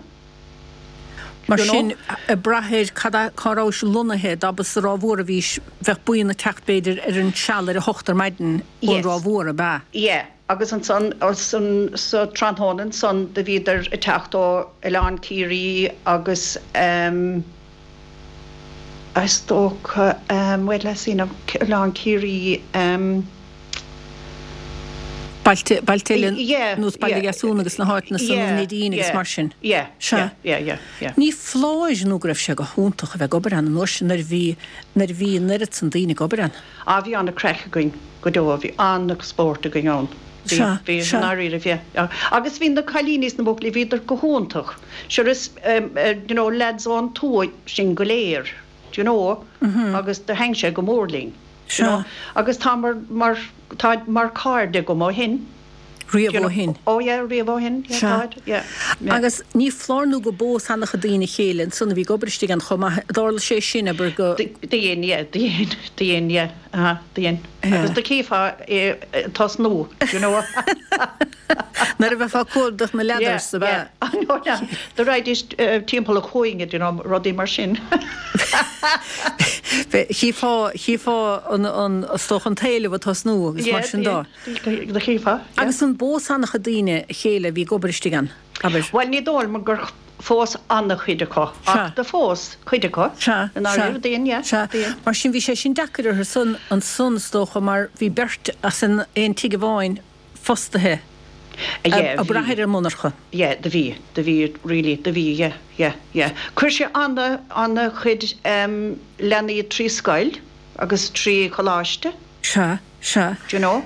Mar sin, ag brath ar cad é, cá rabhais lonnaithe, dá ba sa Ráth Mhór a bhís, bheadh buíon ag teacht b'fhéidir ar an seal ar a hocht ar maidin ón Ráth Mhór, ab ea? Yeah, agus ansan, sa tráthnóna ansan do bhíodar ag teacht ó Oileán Ciarraí agus ehm, is dócha, ehm, wait let's see now, Oileán Ciarraí, ehm. Bailte, bailte eile nós Baile Dheasúna agus na háiteanna san, an Neidín agus mar sin. Sea. Ní foláir nó go raibh sé go hiontach a bheith ag obair ann an uair sin nuair a bhí, nuair a bhí an oiread san daoine ag obair ann. Ah bhí an-craic againn go deo, bhí an-spórt againn ann. Bhí, bhí, i ndáiríre, bhí. Agus bhí na cailíní is na buachaillí, bhíodar go hiontach. Sure is, you know, lads ón tuaith sinn go léir, do you know, agus do thaitin sé go mór linn. Sea. Agus tá mar, mar, táid mar cairde agam ó shin. Riamh ó shin. Oh yeah, riamh ó shin, yeah, Sea. táid, yeah, yeah. Agus ní foláir nó gur phós an-chuid daoine a chéile ansan a bhí ag obair istigh ann chomh maith. Tharla sé sin, abair, go. Do dhein, yeah, do dhein, do dhein, yeah, uh-huh, do dhein. Yeah. Agus do chífeá é ag tosnú, you know. Nuair a bheifeá ag cuardach na leathers, ab ea? Yeah, yeah. No, no, do raghaidís timpeall an chúinne, you know, rudaí mar sin. Chífeá, chífeá an, an, is dócha an t-éileamh ag tosnú agus mar sin dó. Yeah, do chífeá, yeah. Agus an bpós an-chuid daoine a chéile a bhí ag obair istigh ann, abair? Bhuel, ní dóigh liom gur phós an-chuid acu, ach do phós cuid acu, Sea, i ndáiríre, sea, do dhein, yeah, sea. do dhein. Mar sin bhí sé sin deacair orthu san, ansan, is dócha, mar bhí beirt as an aon tigh amháin fostaithe Yeah, ag brath bhí. ar an monarcha. Yeah, do bhí, do bhí, really, do bhí, yeah, yeah, yeah. Chuir sé ana, ana chuid em leanaí trí scoil agus trí choláiste. Sea, sea. Do you know?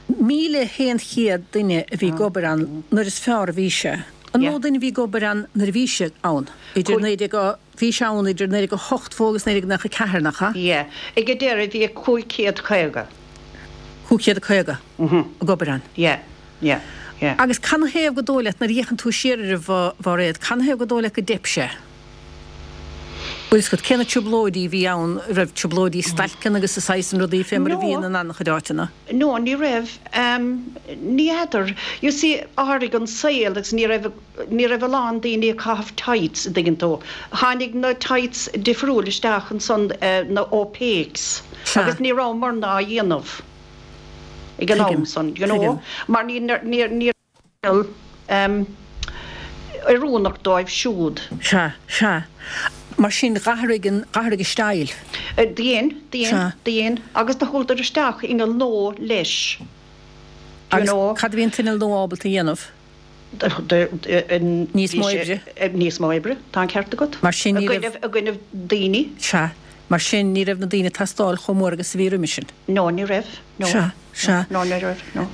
1,100 duine a bhí ag obair ann nuair is fearr a bhí sé. An Yeah. mó duine a bhí ag obair ann nuair a bhí sé ann? Idir 19, bhí sé ann idir 1982 agus 1994, nach ea? Yeah. Ag an deireadh bhí 550. 550 ag obair ann. Yeah, yeah, yeah. Agus canathaobh gur dóigh leat, nuair a fhéachann tú siar air a Mhairéad, canathaobh gur dóigh leat go dteip sé? Bhfuil fhios agat cé na trioblóidí a bhí ann, raibh trioblóidí stailceanna agus a saghas san rudaí fé mar a bhíonn in an-chuid áiteanna? No, ní raibh. Ní fheadar. You see, athraigh an saol agus ní raibh, ní raibh a lán daoine ag caitheamh tights, an dtuigeann tú. Tháinig na tights difriúil isteach ansan, na opaques, agus ní rabhamarna á dhéanamh ag an am san, you know, mar ní, ní, ní raibh oiriúnach dóibh siúd. Sea, sea. Mar sin, d'athraigh an, d'athraigh an style. Dhein, dhein, dhein. Agus do chuadar isteach inneall nua leis, do you Agus know. cad a bhí an t-inneall nua ábalta a dhéanamh? Níos mó oibre. Níos mó oibre, tá an ceart agat. Mar sin, ní raibh. I gcoinnibh daoine. Sea. Mar sin, ní raibh na daoine ag teastáil chomh mór agus a bhí roimhe sin. No, ní raibh. No. Sea, sea. No, ní raibh, no.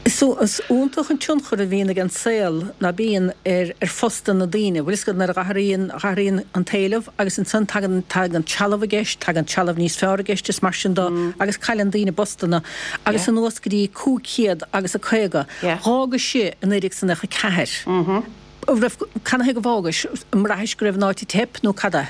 Is iontach an tionchar a bhíonn ag an saol, ná bíonn, ar ar phostanna na daoine. Bhfuil fhios agat, nuair a dh'athraíonn, dh'athraíonn an t-éileamh agus ansan tagann, tagann trealamh i gceist, tagann trealamh níos fearr i gceist is mar sin do agus cailleann daoine a bpostanna. Agus anuas go dtí 500 agus a 50. Dh'fhágais i i 1994. Raibh, canathaobh go bhfágais? An mbraithis go raibh an áit ag teip nó cad é?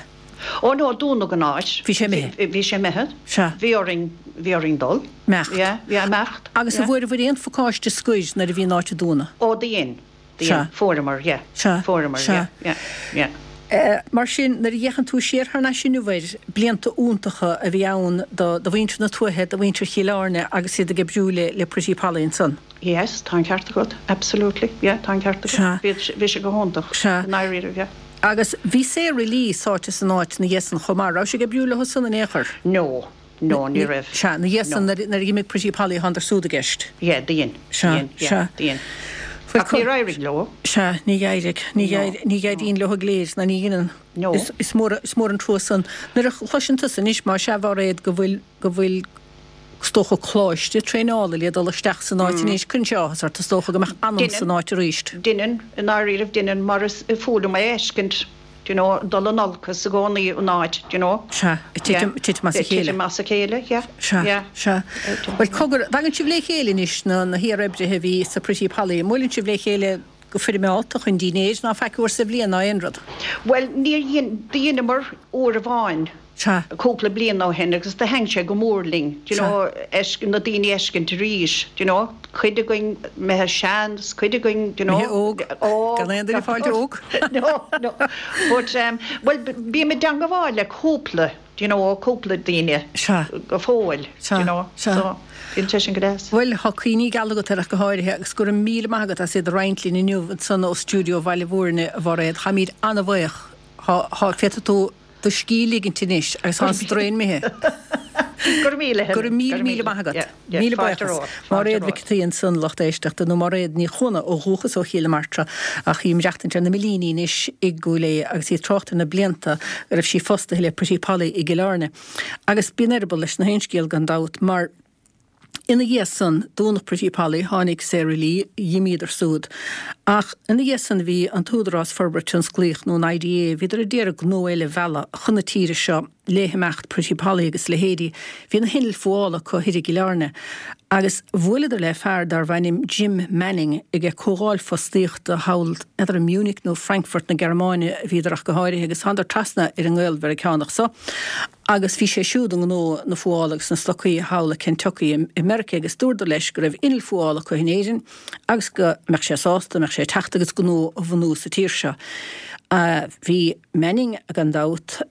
Ó no, dúnadh an áit. Bhí sé imithe. Bhí sé imithe. Sea. Bhí orainn, bhí orainn dul. Imeacht. Yeah, yeah, imeacht. Agus yeah. an bhfuaireabhair aon phacáiste scoir nuair a bhí an áit ag dúnadh? Ó, do dhein. Do Sea. dhein. Fuaireamar, yeah. Sea. Fuaireamar, Sea. yeah, yeah, yeah. Eh, mar sin, nuair a fhéachann tú siar thar n-ais inniu air, blianta iontacha a bhí ann do, do mhuintir na tuaithe, do mhuintir Chill Airne agus iad ag oibriú le, le Pretty Polly ansan. Yes, tá an ceart agat, absolutely, yeah, tá an ceart agat. Sea. Bhí, bhí sé go hiontach. Sea. I ndáiríre, yeah. Agus bhí Sarah Lee sáite san áit 'na dhiaidh san chomh maith. Raibh sé ag oibriú leo san in aon chor? No, no, ní raibh. Sea, 'na dhiaidh san No. nuair a d'imigh Pretty Polly thánadar súd i gceist. Yeah, do dhein. Sea, Do dhein, yeah, sea. do dhein. Bhuel, Ach níor éirigh leo. Sea, ní d'éirigh. Ní No, ní éiríonn leo go léir, ná ní dheineann. No. Is, is mór, is mór an trua san. Nuair a chloiseann tusa anois, más ea, a Mhairéad, go bhfuil, go bhfuil, is dócha, coláiste traenála le dul isteach san áit anois, cuireann sé áthas ort, is dócha, go mbeadh anam san áit arís. Deineann, i ndáiríribh, deineann, mar is fuath liom é a fheiscint. Do you know, dul in olcas i gcónaí an áit, do you know. Sea, ag titim, ag titim as a chéile. Ag titim as a chéile, yeah. Sea, yeah. sea. Bhuel, cogar, dtagann sibh le chéile anois, na, na hiar-oibrithe a bhí sa Pretty Polly, an mbuaileann sibh le chéile go foirmeálta chun dinnéir ná faic uair sa bhliain ná aon rud? Bhuel, níor dhein, dheineamar uair amháin. Sea. cúpla bliain ó shin agus do thaitin sé go mór linn, do you know, na daoine a fheiscint arís, do you know, cuid againn imithe sean 's cuid againn, do you know, Imithe óg, óg, gan aon duine ag fáilt óg. No, no, but um, bhuel, bím i dteangabháil le cúpla, do you know, cúpla daoine Sea. go fóill, Sea, do you know, sea. so bíonn sé sin go deas. Bhuel, tá cuimhní geala agat air ach go háirithe agus go raibh míle maith agat as iad a roinnt linn inniu ansan ó stiúideo Bhaile Mhúirne, a Mhairéad. Táimid an-bhuíoch. Tá, tá, féadfaidh tú do scíth ligint anois agus tá an straidhn imithe. Go raibh míle Go raibh míle míle maith agat. Míle buíochas. Máiréad Mhic an tSaoi ansan, lucht éisteachta, nó Máiréad Ní Chuana ó dhúchas ó Chill na Martra ach í ag maireachtaint ar na Millíní anois i gCúil Aodha agus í ag trácht ar na blianta go raibh sí fostaithe le Pretty Polly i gCill Airne. Agus bíonn eireaball leis na haon scéal gan dabht mar Ina dhiaidh san, dúnadh Pretty Polly, tháinig Sara Lee, dh'imíodar súd. Ach ina dhiaidh san bhí an tÚdarás Forbartha Tionsclaíoch nó an IDA, bhíodar a d'iarraidh gnó eile a mhealladh chun na tíre seo le himeacht Pretty Polly agus a leithéidí. Bhí na hinnill fuála acu thoir i gCill Airne. Agus bhuaileadar le fear darbh ainm Jim Manning ag comhdháil fostaíochta thall, n'fheadar i Munich nó Frankfurt na Gearmáine a bhíodar ach go háirithe agus thánadar trasna ar an nGael-Mheiriceánach so. Agus bhí sé siúd i ngnó na fuála agus na stocaí thall i Kentucky i Meiriceá agus dúradar leis go raibh inneall fuála acu in Éirinn agus go mbeadh sé sásta, mbeadh sé ag teacht agus gnó a bhunú sa tír seo. Bhí Manning, gan dabht,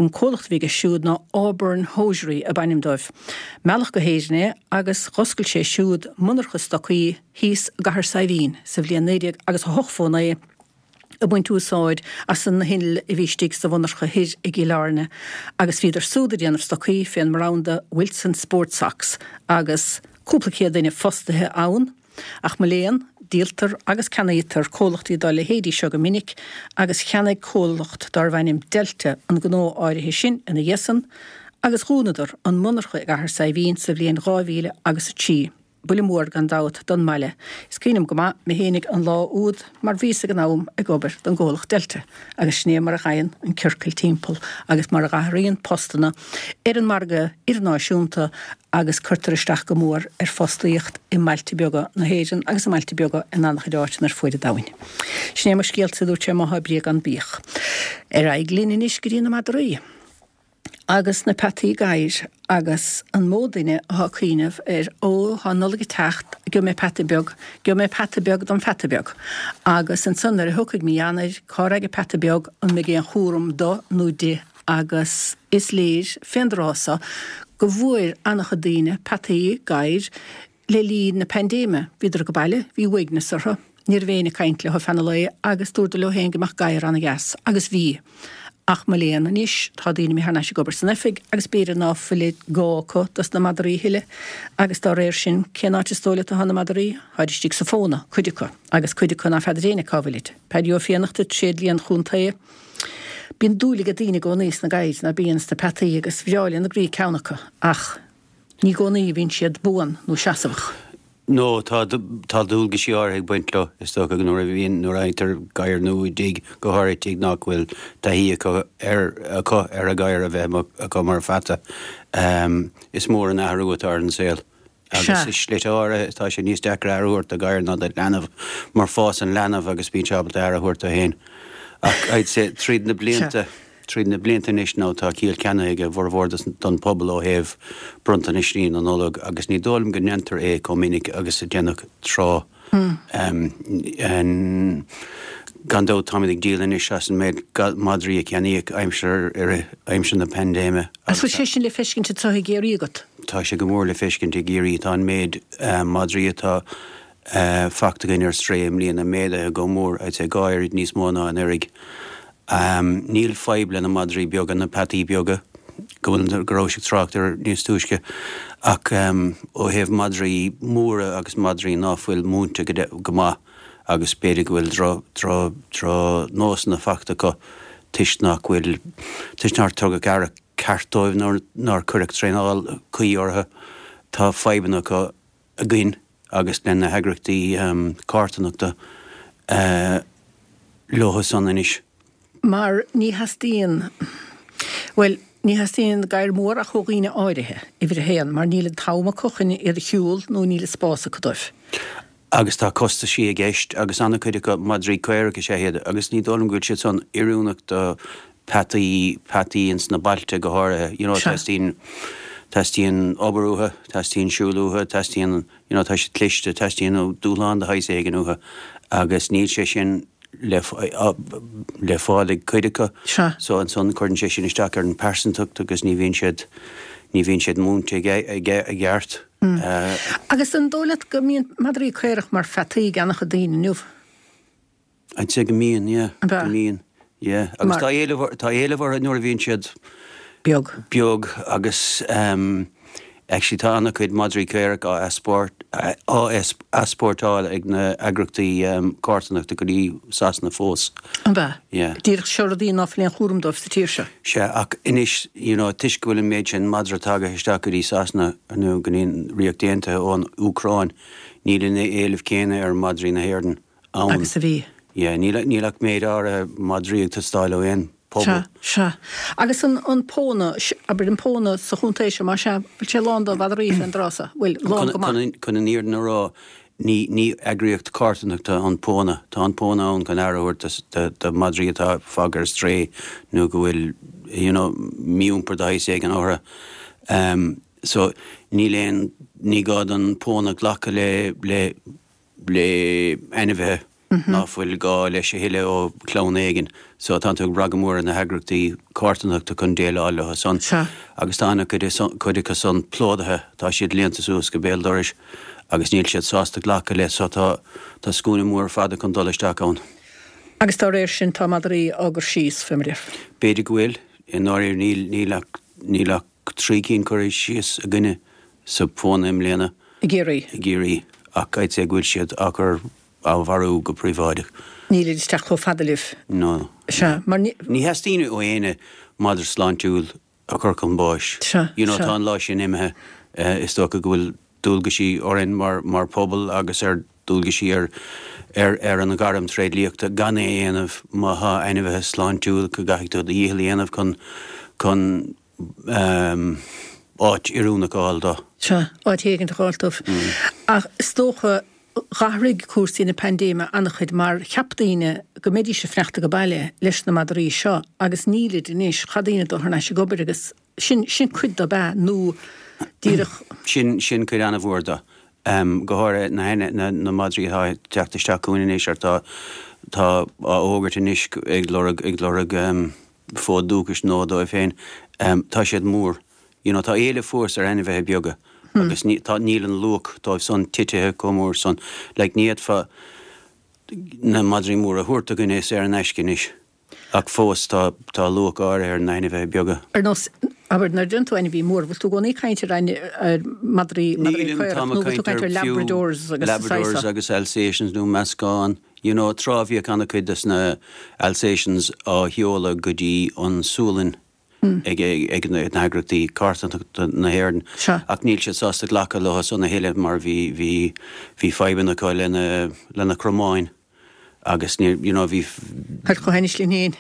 an comhlacht a bhí aige siúd ná Auburn Hosiery ab ainm dóibh. Mealladh go hÉirinn é agus dh'oscail sé siúd monarcha stocaí thíos i gCathair Saidhbhín sa bhliain 19 agus 89. ag baint úsáid as na hinnill a bhí istigh sa mhonarcha thoir i gCill Airne agus bhíodar súd ag déanamh stocaí fén mbranda Wilson Sport Socks agus cúpla céad duine fostaithe ann. Ach mo léan, díoltar agus ceannaítear comhlachtaí dá leithéidí seo go minic agus cheannaigh comhlacht dárbh ainm Delta an gnó áirithe sin ina dhiaidh san agus dhúnadar an monarcha i gCathair Saidhbhín sa bhliain 2000 agus 3. Buille mór, gan dabht, don mbaile. Is cuimhin liom go maith mé fhéinig an lá úd mar bhíos ag an am ag obair don gcomhlacht Delta agus sin é mar a ghaibheann an ciorcal timpeall agus mar a dh'athraíonn postanna ar an margadh idirnáisiúnta agus cuirtear isteach go mór ar fostaíocht i mbailte beaga na hÉireann agus i mbailte beaga in an-chuid áiteanna ar fuaid an domhain. Sin é mo scéalsa, a dúirt sé, má thá brí gan bíodh. Ar aghaidh linn anois go dtí na madraí. agus na peataí gadhair agus an mó duine athá ag cuimhneamh ar ó thá an Nollaig ag teacht gheobhaidh mé peata beag, gheobhaidh mé peata beag dom pheata beag agus ansan nuair a thiocfaidh mí Eanáir cá raghaidh an peata beag an mbeidh aon chúram do nó di agus is léir fén dtráth so go bhfuair an-chuid daoine peataí gadhair Le linn na paindéime, bhíodar ag baile, bhí uaigneas orthu, ní raibh éinne ag caint leo feadh na lae agus dúradar leo féin go mbeadh gadhar ana-dheas, agus bhí. Ach mo léan anois, tá daoine imithe thar n-ais ag obair san oifig agus b'fhéidir ná fuil gá acu dos na madraí a thuilleadh agus dá réir sin, cén áit is dóigh leat atá na madraí? Táid istigh sa phóna, cuid acu, agus cuid acu ná feadar éinne cá bhfuilid. Paddy Ó Fiannachta, Tréidlia an Chontae. Bíonn dúil ag daoine i gcónaí sna gadhair, ná bíonn, sna peataí agus bhreá lena gcroí ceann acu, ach. Ní i gcónaí a bhíonn siad buan nó seasmhach. No, tá, tá dualgaisí áirithe ag baint leo, is dócha, nuair a bhíonn, nuair a fhaightear gadhar nua i dtigh, go háirithe tigh nach bhfuil taithí acu ar, acu ar an ghadhar a bheith acu mar pheata. Is mór an athrú atá ar an saol. Agus i slite áirithe, tá sé níos deacra aire a thabhairt do ghadhar ná do leanbh, mar fásann leanbh agus bíonn sé ábalta aire a thabhairt dó féin. Ach I'd say, tríd na blianta, Tríd na blianta anois now tá ciall ceannaithe ag a bhformhór don pobal ó thaobh bronntanaisí na Nollag agus ní dóigh liom go ndéantar é chomh minic agus a déanadh tráth. Gan dabht táimid ag díol anois as an méid madraí a ceannaíodh aimsir i rith aimsir na paindéime. Agus bhfuil sé sin le feiscint anseo i gCiarraí agat? Tá sé go mór le feiscint i gCiarraí. Tá an méid madraí atá fachta againn ar strae i mbliana méadaithe go mór, I'd say 2 oiread níos mó ná anuraidh. Níl fadhb le na madraí beaga, na peataí beaga, go bhfuil, go rabhais ag trácht air níos túisce, ach ó thaobh madraí móra agus madraí ná fuil múinte go maith agus b'fhéidir go bhfuil dro, dro, drochnósanna fachta acu toisc nach bhfuil, toisc nár tugadh aire ceart dóibh nó nár cuireadh traenáil cuí orthu, tá fadhbanna acu againn agus le na heagraíochtaí carthanachta leo san anois. Mar ní theastaíonn, bhuel, ní theastaíonn gadhar mór ach ó dhaoine áirithe, uimhir a haon, mar níl an t-am acu chun iad a shiúl nó níl an spás acu dóibh. Agus tá costaisí i gceist agus an-chuid acu madraí caorach is ea iad agus ní dóigh liom go bhfuil siad san oiriúnach do peataí, peataí ins na bailte go háirithe, you know, teastaíonn, teastaíonn obair uathu, teastaíonn siúl uathu, teastaíonn, you know, tá siad cliste, teastaíonn dúshlán de shaghas éigin uathu agus níl sé sin le, le fáil ag cuid acu. Sea. So ansan cuireann sé sin isteach ar an pearsantacht agus ní bhíonn siad, ní bhíonn siad múinte i gceart. Agus an dóigh leat go mbíonn madraí caorach mar pheataí ag an-chuid daoine inniu? I'd say go mbíonn, yeah. An ea? Go mbíonn, yeah. Agus tá éileamh, tá éileamh orthu nuair a bhíonn siad beag. Beag agus actually tá an-chuid madraí caorach á easpórt, á easpórtáil ag na eagrachtaí carthanachta go dtí Sasana fós. An ea? Yeah. Díreach seo rudaí ná fuil aon chúram dóibh sa tír seo. Sea, ach anois, you know, toisc go bhfuil an méid sin madra tagaithe isteach go dtí Sasana nó go dtí an Ríocht Aontaithe ón Úcráin, níl an éileamh céanna ar madraí na hÉireann ann. Agus a bhí. Yeah, níl, níl ach méid áirithe madraí ag teastáil ó aon pobal. Sea, sea. Agus an, an Póna, abair an Póna sa chontae seo, más ea, bhfuil sé lán de mhadraí fén dtráth so? Bhfuil, lán go maith. Chun, chun an fhírinne a rá, ní, ní eagraíocht carthanachta an Póna. Tá an Póna ann chun aire a thabhairt do, do madraí atá fágtha ar strae nó go bhfuil, you know, mí-iompar de shaghas éigin orthu. Um, so, níl aon, ní gá don Póna glacadh le, le, le ainmhithe ná fuil gá leis a thuilleadh ó chlann éigin. So tá tú ag brath go mór ar na heagrachtaí carthanachta chun déileáil leo san. Agus tá an-chuid cuid acu san plódaithe, tá siad líonta suas go béal dorais agus níl siad sásta glacadh le so tá tá scuaine mór fada chun dul isteach ann. Agus dá réir sin tá madraí á gcur síos, fé mar a déarfá. B'fhéidir go bhfuil. I ndáiríre níl níl ach níl ach 3 cinn curtha síos againne sa Phóna i mbliana. I gCiarraí. I gCiarraí, ach I'd say go bhfuil siad á gcur, á mharú go príobháideach. Nílid isteach chomh fada libh. No. Sea, mar ní. Ní theastaíonn ó éinne madra sláintiúil a chur chun báis. Sea, You know, sea. tá an lá sin imithe. Is dócha go bhfuil dualgaisí orainn mar, mar phobal agus ar dualgaisí ar, ar, ar an ghairm tréidliachta gan é a dhéanamh má thá ainmhithe sláintiúil go gcaithfidh tú do dhícheall a dhéanamh chun, chun áit oiriúnach a fháil dó. Sea, áit éigint a fháil dóibh. Ach is dócha, dh'athraigh cúrsaí na paindéime an-chuid mar cheap daoine go mbeidís ag fanacht age baile leis na madraí seo agus nílid anois, chaith daoine dul thar n-ais ag obair agus sin, sin cuid de ab ea nó díreach. Sin, sin cuid an-mhór de. Go háirithe na, na, na madraí atá ag teacht isteach chugainn anois ar tá, tá á fhógairt anois ag lorg, ag lorg fód dúchais nua dóibh féin. Tá siad mór. You know, tá éileamh fós ar ainmhithe beaga agus ní, tá, níl an luach dóibh san titithe chomh mór san. Like, ní fhéadfá na madraí móra a thabhairt do dhuine saor in aisce anois. Ach fós, tá, tá luach áirithe ar na hainmhithe beaga. Ar nós, abair, nuair a deireann tú ainmhí mór, bhfuil tú i gcónaí ag caint ar ain, ar madraí, madraí Nílim, caorach, táim nó ag bhfuil tú ag caint caint ar ar fiú Labradors agus an saghas Labradors seo? agus Alsatians nó meascán. You know, tráth bhíodh an-chuid des na Alsatians á sheoladh go dtí an Sualainn ag, ag na heagraíochtaí carthanachta na hÉireann. Sea. Ach níl siad sásta glacadh leo san a thuilleadh mar bhí, bhí, bhí fadhbanna acu lena, lena cromáin. Agus ní, you know, bhí. Thar chomh hainnis linn féin.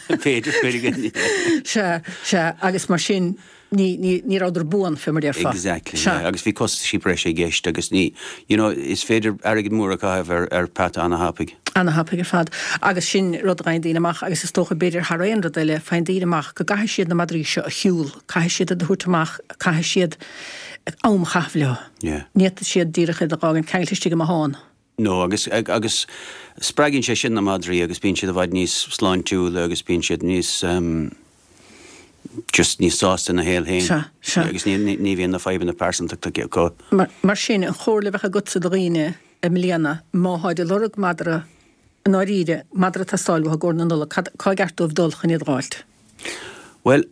B'fhéidir, b'fhéidir go. Sea, sea, agus mar sin, ní, ní, ní rabhadar buan, fé mar déarfá. Exactly, Sea. yeah, agus bhí costaisí breise i gceist agus ní, you know, is féidir airgead mór a chaitheamh ar, ar peata ana-thapaidh. Ana-thapaidh ar fad. Agus sin rud a fhaigheann daoine amach agus is dócha, b'fhéidir thar aon rud eile, faigheann daoine amach go gcaithfidh siad na madraí seo a shiúl, caithfidh siad iad a thabhairt amach, caithfidh siad am a chaitheamh leo. Yeah. Ní fhéadfaidh siad díreach iad a dh'fhágaint ceangailte istigh i mbothán. No, agus, agus spreagann sé sin na madraí agus bíonn siad i bhfad níos sláintiúla agus bíonn siad níos ehm just níos sásta ina shaol féin. Sea, sea. Agus ní, ní, ní bhíonn na fadhbanna pearsantachta acu. Mar, mar sin, an chomhairle a bheadh agatsa do dhaoine i mbliana, má tháid ag lorg madra, i ndáiríre, madra ag teastáil uathu i gcomhair na Nollag, cad, cá gceart dóibh dul chun iad a dh'fháilt? Bhuel,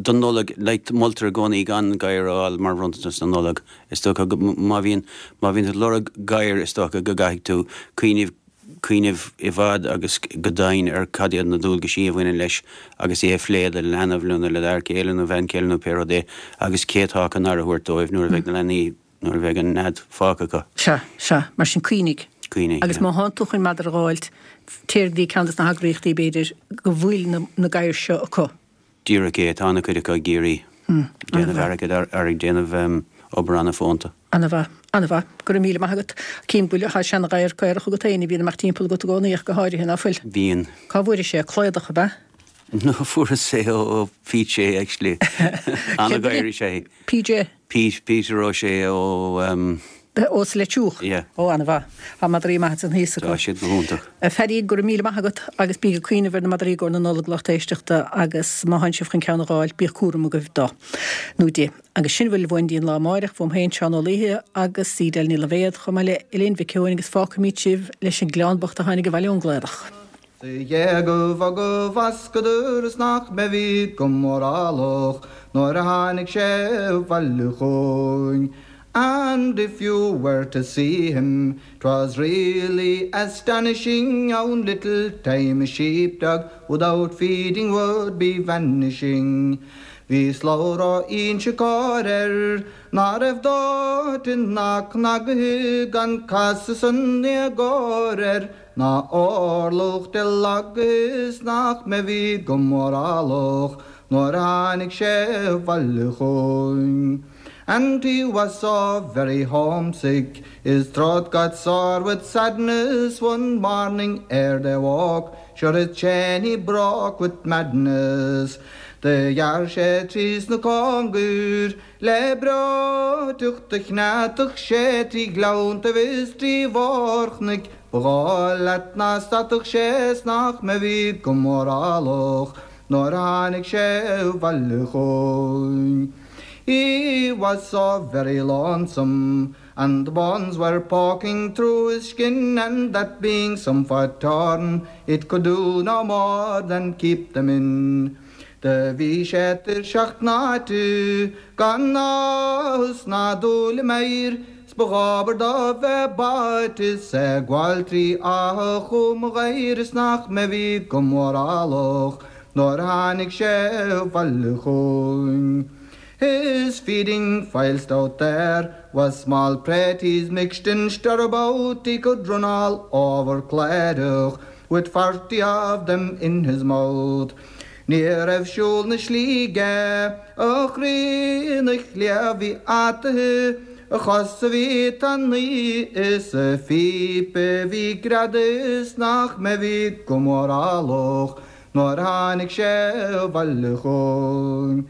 don Nollaig, like, moltar i gcónaí gan gadhar a fháil mar bhronntanas na Nollag. Is dócha go, má bhíonn, má bhíonn tú ag lorg gadhair is dócha go gcaithfidh tú cuimhneamh, cuimhneamh i bhfad agus go domhain ar cad iad na dualgaisí a bhaineann leis agus é a phlé le leanbh nó le d'fhear céile nó bhean chéile nó pé rud é agus cé atá chun aire a thabhairt dóibh nuair a bheidh na leanaí, nuair a bheidh an nead fágtha acu. Sea, sea, mar sin cuimhnigh. Cuimhnigh, Agus má thánn tú chun madra a dh'fháilt, téir go dtí ceann des na heagraíochtaí, b'fhéidir, go bhfuil na gadhair seo acu. Díreach é, tá ana-chuid acu i gCiarraí. Déanamh airgead ar ag déanamh obair ana-fhónta. Ana-mhaith, ana-mhaith. Go raibh míle maith agat. Cím go bhfuil, tá seana-ghadhar caorach agat féin a bhíonn ag imeacht timpeall agat i gcónaí ach go háirithe, ná fuil? Bíonn. Cá bhfuairis é? Cladach, ab ea? No, fuaireas é ó PJ actually. Ana-ghadhar is ea é. PJ? Pete, Peter O'Shea ó. Ó sa Leitriúch? Yeah. Ó, ana-mhaith. Tá madraí maithe ansan thíos acu. Tá siad go hiontach. A Phaddy, go raibh míle maith agat agus bíg ag cuimhneamh ar na madraí i gcomhair na Nollag lucht éisteachta agus má thánn sibh chun ceann a dh'fháil, bíodh cúram agaibh dó nó di. Agus sin a bhfuil uainn dtí an lá amáireach, uaim féin, Seán Ó Laoithe agus Edel Ní Loibhéad, chomh maith le Elaine Mhic Eoin agus fágfaimid sibh leis an gclann bocht a tháinig abhaile ón gCladach. Sa ghéagaibh bhoga bhascadar is nach mbeifí go mórálach nuair a tháinig sé abhaile chugainn. And if you were to see him, 'twas really astonishing how in little time a sheepdog without feeding would be vanishing. Bhí slabhra Inse Chór air ná raibh dóite ná cnagaithe gan casadh san éagóir air Ná orlach de lagaithe is nach mbeifí go mórálach nuair a tháinig sé abhaile chugainn. And he was so very homesick, his throat got sore with sadness one morning ere they woke, sure his chain he broke with madness. Do ghearr sé tríos na cóngair Le breoiteacht do chneadfadh sé trí ghleanntaibh is trí bharr-chnoic ba dhóigh leat ná stadfadh sé 's nach mbeifí go mórálach nuair a tháinig sé abhaile chugainn. He was so very lonesome and the bones were poking through his skin and that being somewhat torn it could do no more than keep them in. Do bhí sé tuirseach tnáite gan áthas ná dúil i m'aoir 's ba dhóbair dó bheith báite 's é ag gabháil trí Áth Chum Ghaidhir is nach mbeifí go mórálach nuair a tháinig sé abhaile chugainn. His feeding whilst out there was small praties mixed in stirabout he could run all over Clydach with 40 of them in his mouth. Ní raibh siúl na slí aige, a chroí ina chliabh bhí ataithe, a chosa bhí tanaí is a phíopa bhí greadta is nach mbeifí go mórálach nuair a tháinig sé abhaile chugainn.